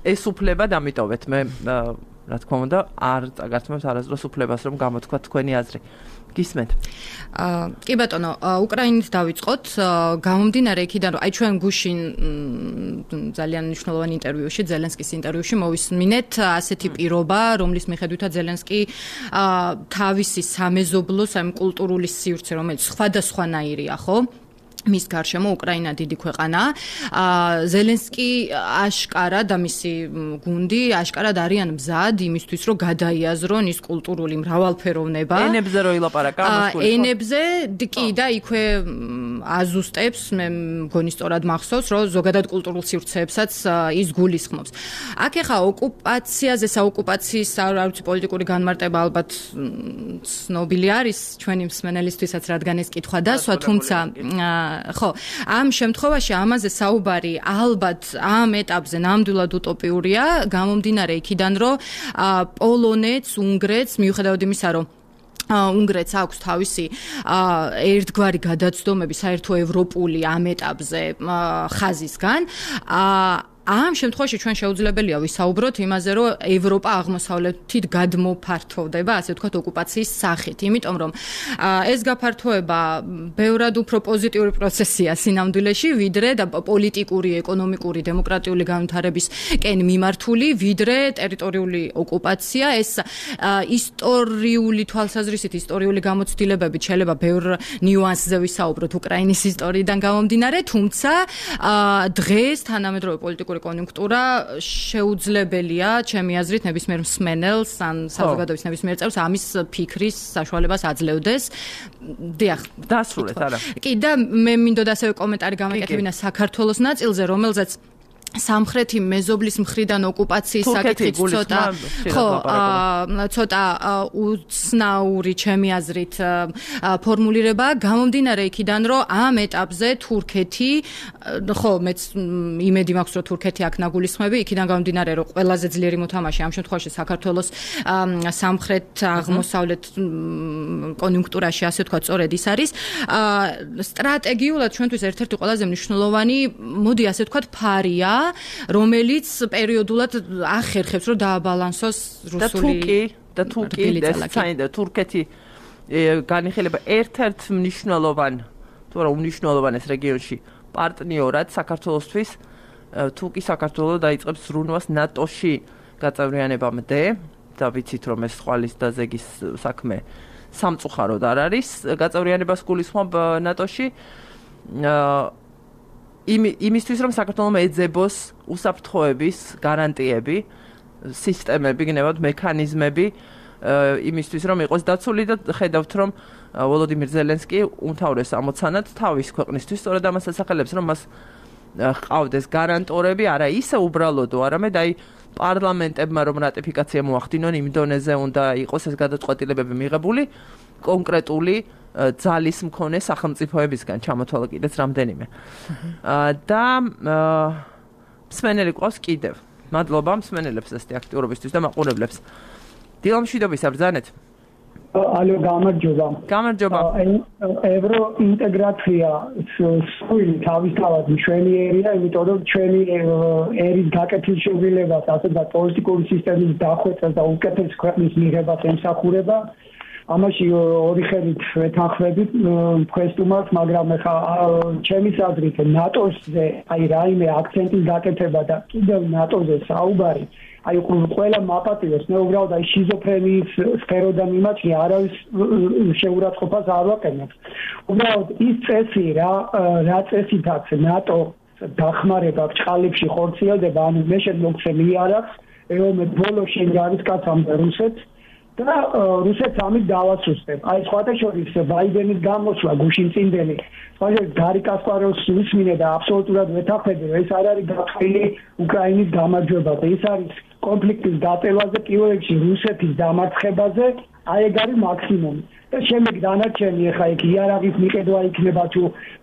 ეს უფლება დამიტოვეთ მე რა თქმა უნდა არ წაგართმევთ არასდროს უფლებას რომ გამოთქვა თქვენი აზრი. გისმენთ? კი ბატონო, უკრაინის დავიწყოთ, გამომდინარე იქიდან რომ აი ჩვენ გუშინ ძალიან მნიშვნელოვანი ინტერვიუში, ზელენსკის ინტერვიუში მოვისმინეთ ასეთი პირობა, რომლის მიხედვითაც ზელენსკი თავისი სამეზობლოს, ამ კულტურული სივრცე, რომელიც სხვადასხვანაირია, ხო? მის გარშემო უკრაინა დიდი ქვეყანაა. ზელენსკი აშკარად და მისი გუნდი აშკარად არიან მზად იმისთვის, რომ გადაიაზრონ ის კულტურული მრავალფეროვნება. ენებზე რო ილაპარაკა ამას გულისხმობს. ენებზე კი და იქვე აზუსტებს, მე მგონი სწორად მახსოვს, რომ ზოგადად კულტურულ სივრცეებსაც ის გულისხმობს. აქ ახლა ოკუპაციაზე, საოკუპაციის არ ვიცი პოლიტიკური განმარტება ალბათ ცნობილი არის ჩვენი მსმენელისთვისაც, რადგან ეს კითხვა დასვა, თუმცა ხო, ამ შემთხვევაში ამაზე საუბარი ალბათ ამ ეტაპზე ნამდვილად უტოპიურია, გამომდინარე იქიდან, რომ პოლონეთს, უნგრეთს, მიუხედავად იმისა, რომ უნგრეთს აქვს თავისი ერთგვარი გადაცდომები საერთო ევროპული ამ ეტაპზე ხაზისგან, ამ შემთხვევაში ჩვენ შეუძლებელია ვისაუბროთ იმაზე, რომ ევროპა აღმოსავლეთით გადმოფართოვდება, ასე ვთქვათ, ოკუპაციის სახით, იმიტომ რომ ეს გაფართოება ბევრად უფრო პოზიტიური პროცესია სინამდვილეში, ვიდრე და პოლიტიკური, ეკონომიკური, დემოკრატიული განვითარებისკენ მიმართული, ვიდრე ტერიტორიული ოკუპაცია. ეს ისტორიული თვალსაზრისით, ისტორიული გამოცდილებებით შეიძლება ბევრ ნიუანსზე ვისაუბროთ უკრაინის ისტორიიდან გამომდინარე, თუმცა დღეს თანამედროვე პოლიტიკური კონიუნქტურა შეუძლებელია, ჩემი აზრით, ნებისმიერ მსმენელს ან საზოგადოების ნებისმიერ წევრს ამის ფიქრის საშუალებას აძლევდეს. დიახ, დასრულეთ, არა. კი და მე მინდოდა ასევე კომენტარი გამეკეთებინა საქართველოს ნაწილზე, რომელზეც სამხრეთი მეზობლის მხრიდან ოკუპაციის საკითხიც ცოტა უცნაური ჩემი აზრით ფორმულირება გამომდინარე იქიდან, რომ ამ ეტაპზე თურქეთი, ხო, მეც იმედი მაქვს, რომ თურქეთი აქ ნაგულისხმები, იქიდან გამომდინარე, რომ ყველაზე ძლიერი მოთამაშე ამ შემთხვევაში საქართველოს სამხრეთ აღმოსავლეთ კონიუნქტურაში, ასე ვთქვათ, სწორედ ის არის. სტრატეგიულად ჩვენთვის ერთ-ერთი ყველაზე მნიშვნელოვანი, მოდი ასე ვთქვათ, ფარია, რომელიც პერიოდულად ახერხებს, რომ დააბალანსოს რუსული და თურქეთი განიხილება ერთ-ერთ მნიშვნელოვან, თუ არა უმნიშვნელოვანეს რეგიონში პარტნიორად საქართველოსთვის, თუ კი საქართველო დაიწყებს ზრუნვას ნატოში გაწევრიანებამდე და ვიცით, რომ ეს ხვალის და ზეგის საქმე სამწუხაროდ არ არის გაწევრიანებას გულისხმობ ნატოში. იმისთვის რომ საქართველოს ეძებოს უსაფრთხოების გარანტიები, სისტემები, გნებავთ მექანიზმები, იმისთვის რომ იყოს დაცული და ხედავთ რომ ვოლოდიმირ ზელენსკი უმთავრეს ამოცანად თავის ქვეყნისთვის სწორედ ამას ასახელებს, რომ მას ყავდეს გარანტორები, არა ისე უბრალოდო, არამედ აი პარლამენტებმა რომ რატიფიკაცია მოახდინონ იმ დონეზე უნდა იყოს ეს გადაწყვეტილებები მიღებული კონკრეტული ძალის მქონე სახელმწიფოებისგან ჩამოთვალა კიდეც რამდენიმე. და მსმენელი ყავს კიდევ. მადლობა მსმენელებს ესეთი აქტიურობისთვის და მაყურებლებს. დილამშვიდობის აბრძანეთ. ალო, გამარჯობა. გამარჯობა. ევროინტეგრაცია სული თავისთავად მშვენიერია, იმიტომ რომ ჩვენი ერის გაკეთილშობილებას, ასე და პოლიტიკური სისტემის დახვეწას და უკეთეს ქვეყნის მიღებას ემსახურება. ამაში ორი ხელით ვეთანხმებით მქვესტუმარს, მაგრამ ხა ჩემის აზრით ნატოზე აი რაიმე აქცენტის გაკეთება და კიდევ ნატოზე საუბარი აი ყველა მაპატიოს მე უბრალოდ აი შიზოფრენიის სფეროდან მიმაჩნია, არავის შეურაცხყოფას არ ვაყენებ. უბრალოდ ის წესი რა წესითაც ნატო დახმარება ბჭყალებში ხორციელდება, ანუ მე შემოგცე მიარაღს, ეომეთ ბოლო შენ გარისკაცამდე რუსეთს და რუსეთს ამით დავასუსტებ. აი სხვათა შორის ბაიდენის გამოსვლა გუშინწინდელი, სხვათა გარი კასპაროვს უსმინე და აბსოლუტურად ვეთანხმები, რომ ეს არ არის გაფრთხილი უკრაინის გამარჯვება და ეს არის კონფლიქტის დატევაზე, პირველ რიგში რუსეთის დამარცხებაზე, აი ეგ არის მაქსიმუმი. და შემდეგ დანარჩენი ახლა იქ იარაღის მიყიდვა იქნება თუ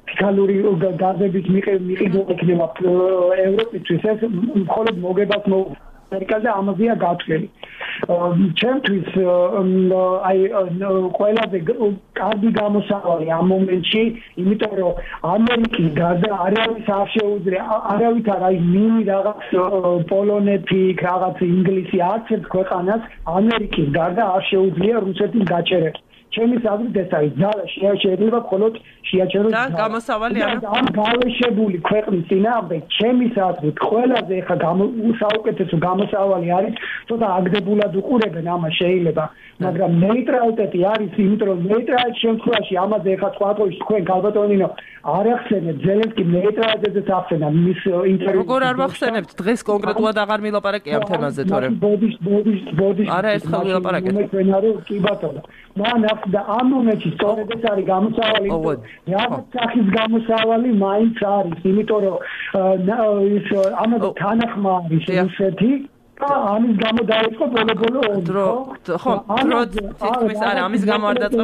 ფიქალური გაზების მიყიდვა იქნება ევროპისთვის ეს მხოლოდ მოგებას ამერიკაზე ამაზეა გათვლილი. ჩემთვის აი ყველაზე კარგი გამოსავალი ამ მომენტში, იმიტომ რომ ამერიკის გარდა არავის არ შეუძლია, არავითარ აი მინი რაღაც პოლონეთი, რაღაც ინგლისი არც ერთ ქვეყანას ამერიკის გარდა არ შეუძლია რუსეთის გაჩერება. ჩემის აზრით ეს არის ძალა შეიძლება მხოლოდ შეაჩეროს და გამოსავალი ამ გავეშებული ქვეყნის წინააღმდეგ ჩემის აზრით ყველაზე ეხა საუკეთესო გამოსავალი არის ცოტა აგდებულად უყურებენ ამას შეიძლება მაგრამ ნეიტრალიტეტი არის იმიტომ რომ ნეიტრალიტეტის შემთხვევაში ამაზე ეხა სხვა ყოველში თქვენ გალბატონინო არ ახსენებთ ზელენსკი ნეიტრალიტეტზე ახსენა მის ინტერვიუში როგორ არ ვახსენებთ დღეს კონკრეტულად აღარ მილაპარაკე ამ თემაზე თორემ ბოდის არა ეს ხალ ვილაპარაკეთ კი ბატონო მან და ამ მომენტში სწორედ ეს არის გამოსავალი რაღაც სახის გამოსავალი მაინც არის იმიტომ რომ ის ამაზე თანახმა არის რუსეთი ამის გამო დაიწყო ბოლო ხო თითქმის არა ამის გამო არ დაწყო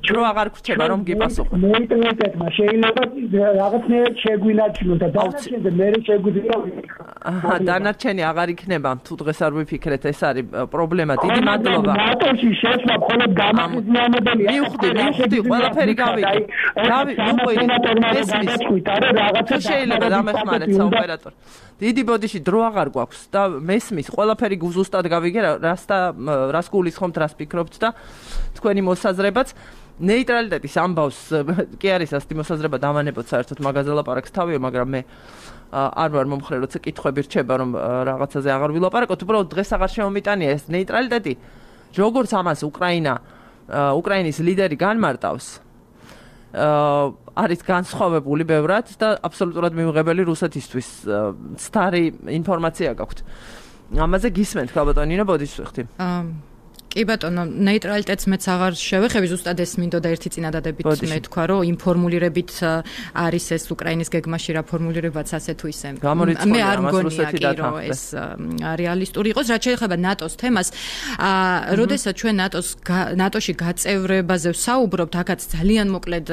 დრო აღარ გრჩება რომ გიპასუხო ნეიტრალიტეტმა შეიძლება რაღაცნაირად შეგვინარჩუნოს და დანარჩენზე მე შეგვიძლია დანარჩენი აღარ იქნება თუ დღეს არ ვიფიქრეთ ეს არის პრობლემა დიდი მადლობა ნატოში შეცვლა მხოლოდ გამახიზნიანებელია მივხვდი ყველაფერი გავიგე თუ შეიძლება დამეხმარეთ საოპერატორ დიდი ბოდიში დრო აღარ გვაქვს და მესმის ყველაფერი ზუსტად გავიგე რას გულისხმობთ რას ფიქრობთ და თქვენი მოსაზრებაც ნეიტრალიტეტის ამბავს კი არის ასეთი მოსაზრება დავანებოთ საერთოდ მაგაზე ლაპარაკს თავია მაგრამ მე არ ვარ მომხრე როცა კითხვები რჩება რომ რაღაცაზე აღარ ვილაპარაკოთ უბრალოდ დღეს აღარ შემომიტანია ეს ნეიტრალიტეტი როგორც ამას უკრაინის ლიდერი განმარტავს არის განსხვავებული ბევრად და აბსოლუტურად მიუღებელი რუსეთისთვის სტარი ინფორმაცია გაქვთ ამაზე გისმენთ გალბატონინო ბოდიშხთი კი ბატონო ნეიტრალიტეტს მეც აღარ შევეხები ზუსტად ეს მინდოდა ერთი წინადადებით მე თქვა რომ იმ ფორმულირებით არის ეს უკრაინის გეგმაში რა ფორმულირებაც ასე თუ ისე მე არ მგონია რომ ეს რეალისტური იყოს რაც შეეხება ნატოს თემას როდესაც ჩვენ ნატოში გაწევრებაზე ვსაუბრობთ აქაც ძალიან მოკლედ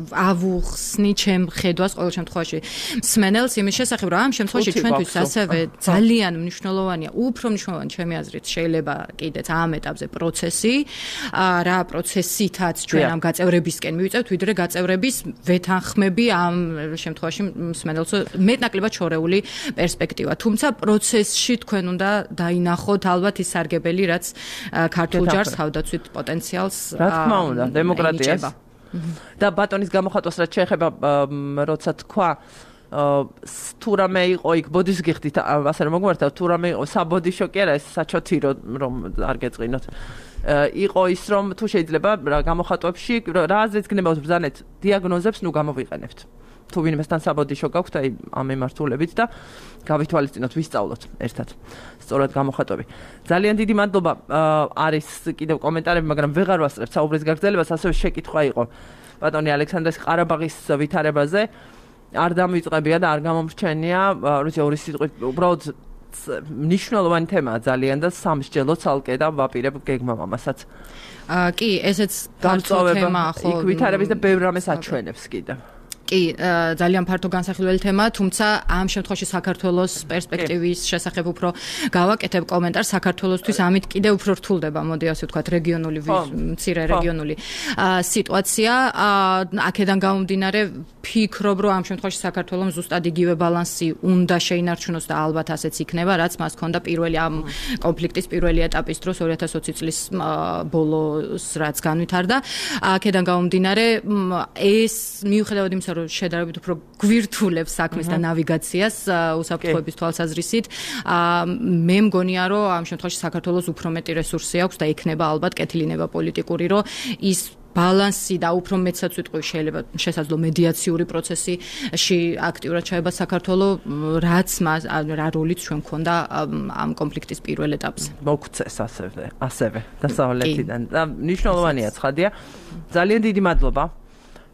ავუხსნი ჩემ ხედვას ყოველ შემთხვევაში მსმენელს იმის შესახებ რომ ამ შემთხვევაში ჩვენთვის ასევე ძალიან მნიშვნელოვანია უფრო მნიშვნელოვანი ჩემი აზრით შეიძლება კიდეც ამ ეტაპზე პროცესი, რა პროცესითაც ჩვენ ამ გაწევრებისკენ მივიწევთ, ვიდრე გაწევრების ვეთანხმები ამ შემთხვევაში მსმენელს მეტნაკლებად შორეული პერსპექტივა. თუმცა პროცესში თქვენ უნდა დაინახოთ ალბათ ის სარგებელი, რაც ქართულ ჯარს თავდაცვით პოტენციალს რა თქმა უნდა, დემოკრატიას. და ბატონის გამოხატვას რაც შეეხება როცა თქვა თუ რამე იყო იქ ბოდის გიხდით ასე რომ მოგმართა თუ რამე იყო საბოდიშო კი არა ეს საჩოთი რომ არ გეწყინოთ იყო ის რომ თუ შეიძლება გამოხატვებში რა აზრით გნებავთ ბრძანეთ დიაგნოზებს ნუ გამოვიყენებთ თუ ვინმესთან საბოდიშო გაქვთ აი ამ მემართულებით და გავითვალისწინოთ ვისწავლოთ ერთად სწორად გამოხატვები ძალიან დიდი მადლობა არის კიდევ კომენტარები მაგრამ ვეღარ ვასწრებ საუბრის გაგრძელებას ასევე შეკითხვა იყო ბატონი ალექსანდრეს ყარაბაღის ვითარებაზე არ დამიწყებია და არ გამომრჩენია, როცა ორი სიტყვით უბრალოდ მნიშვნელოვანი თემაა ძალიან და სამსჯელო ცალკე და ვაპირებ გეგმამ ამასაც. კი, ესეც განსხვავება თემაა ხო. იქ ვითარების და ბევრ რამეს აჩვენებს კიდევ. კი, ძალიან ფართო განსახილველი თემაა, თუმცა ამ შემთხვევაში საქართველოს პერსპექტივის შესახებ უფრო გავაკეთებ კომენტარს საქართველოსთვის ამით კიდევ უფრო რთულდება, მოდი ასე ვთქვათ, რეგიონული მცირე რეგიონული სიტუაცია. აქედან გამომდინარე ფიქრობ, რომ ამ შემთხვევაში საქართველოს ზუსტად იგივე ბალანსი უნდა შეინარჩუნოს და ალბათ ასეც იქნება, რაც მას ჰქონდა პირველი ამ კონფლიქტის პირველი ეტაპის დროს 2020 წლის ბოლოს რაც განვითარდა. აქედან გამომდინარე ეს მიუხედავად იმისა, რომ შედარებით უფრო გვირთულებს საქმეს და ნავიგაციას უსაფრთხოების თვალსაზრისით, მე მგონია, რომ ამ შემთხვევაში საქართველოს უფრო მეტი რესურსი აქვს და იქნება ალბათ კეთილინება პოლიტიკური, რომ ის ბალანსი და უფრო მეცაც ვიტყვი შეიძლება შესაძლო მედიაციური პროცესში აქტიურად ჩაება საქართველოს რაც რა როლიც ჩვენ მქონდა ამ კონფლიქტის პირველ ეტაპზე. მოგცეს ასევე დასავლეთიდან და მნიშვნელოვანია ცხადია. ძალიან დიდი მადლობა.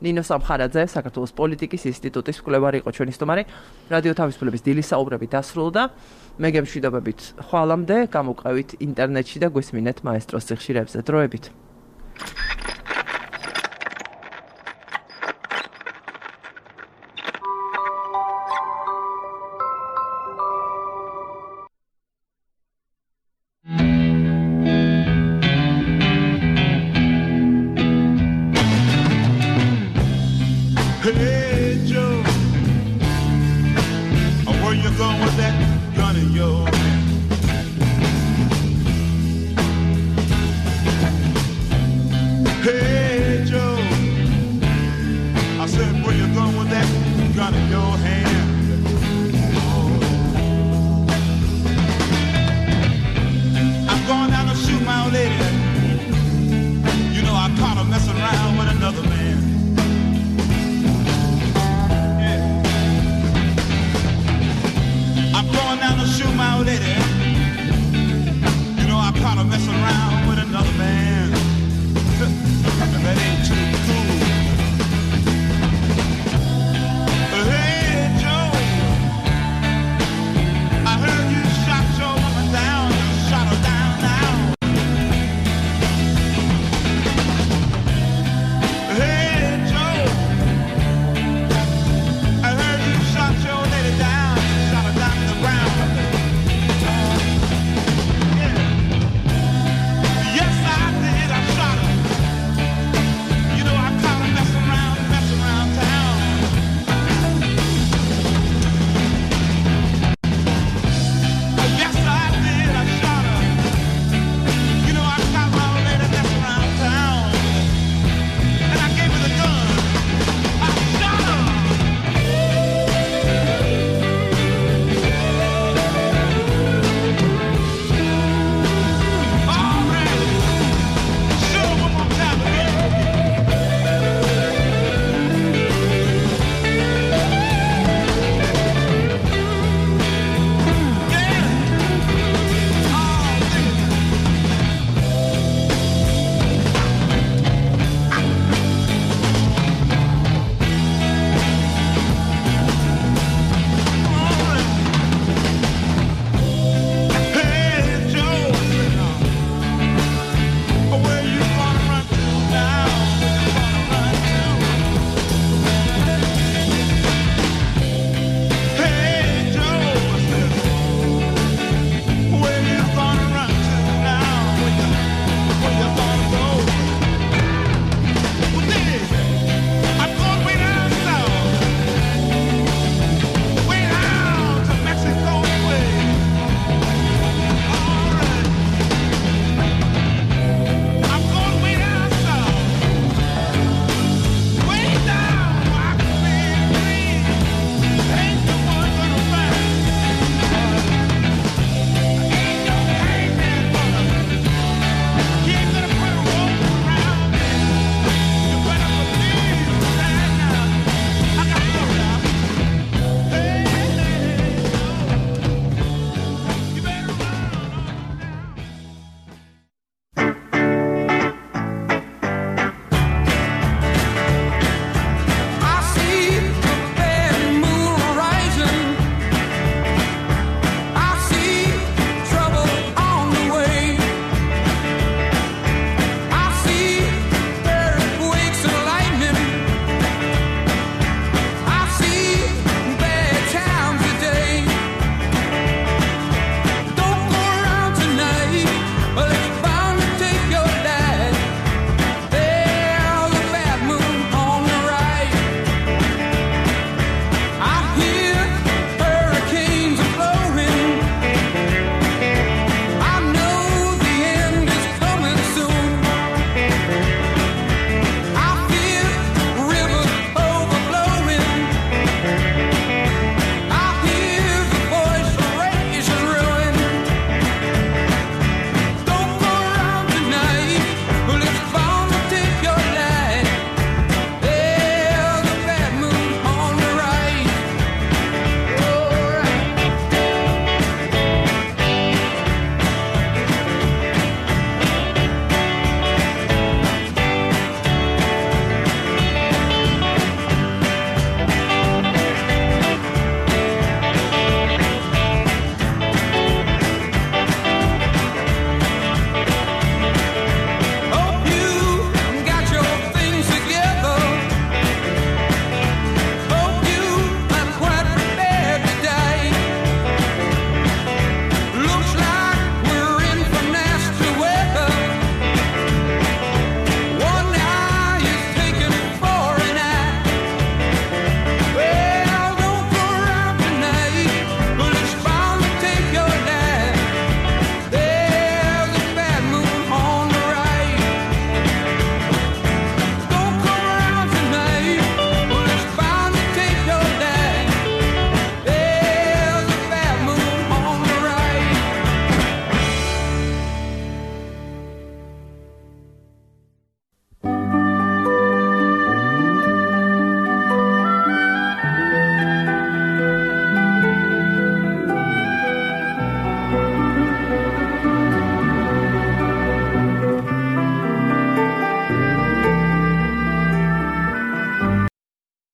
ნინო სამხარაძე, საქართველოს პოლიტიკის ინსტიტუტის მკვლევარი იყო ჩვენი სტუმარი. რადიო თავისუფლების დილის საუბრები დასრულდა. მე გემშვიდობებით ხვალამდე, გამოვყევით ინტერნეტში და გვესმინეთ მაესტროს სიხშირეებზე. დროებით. Hey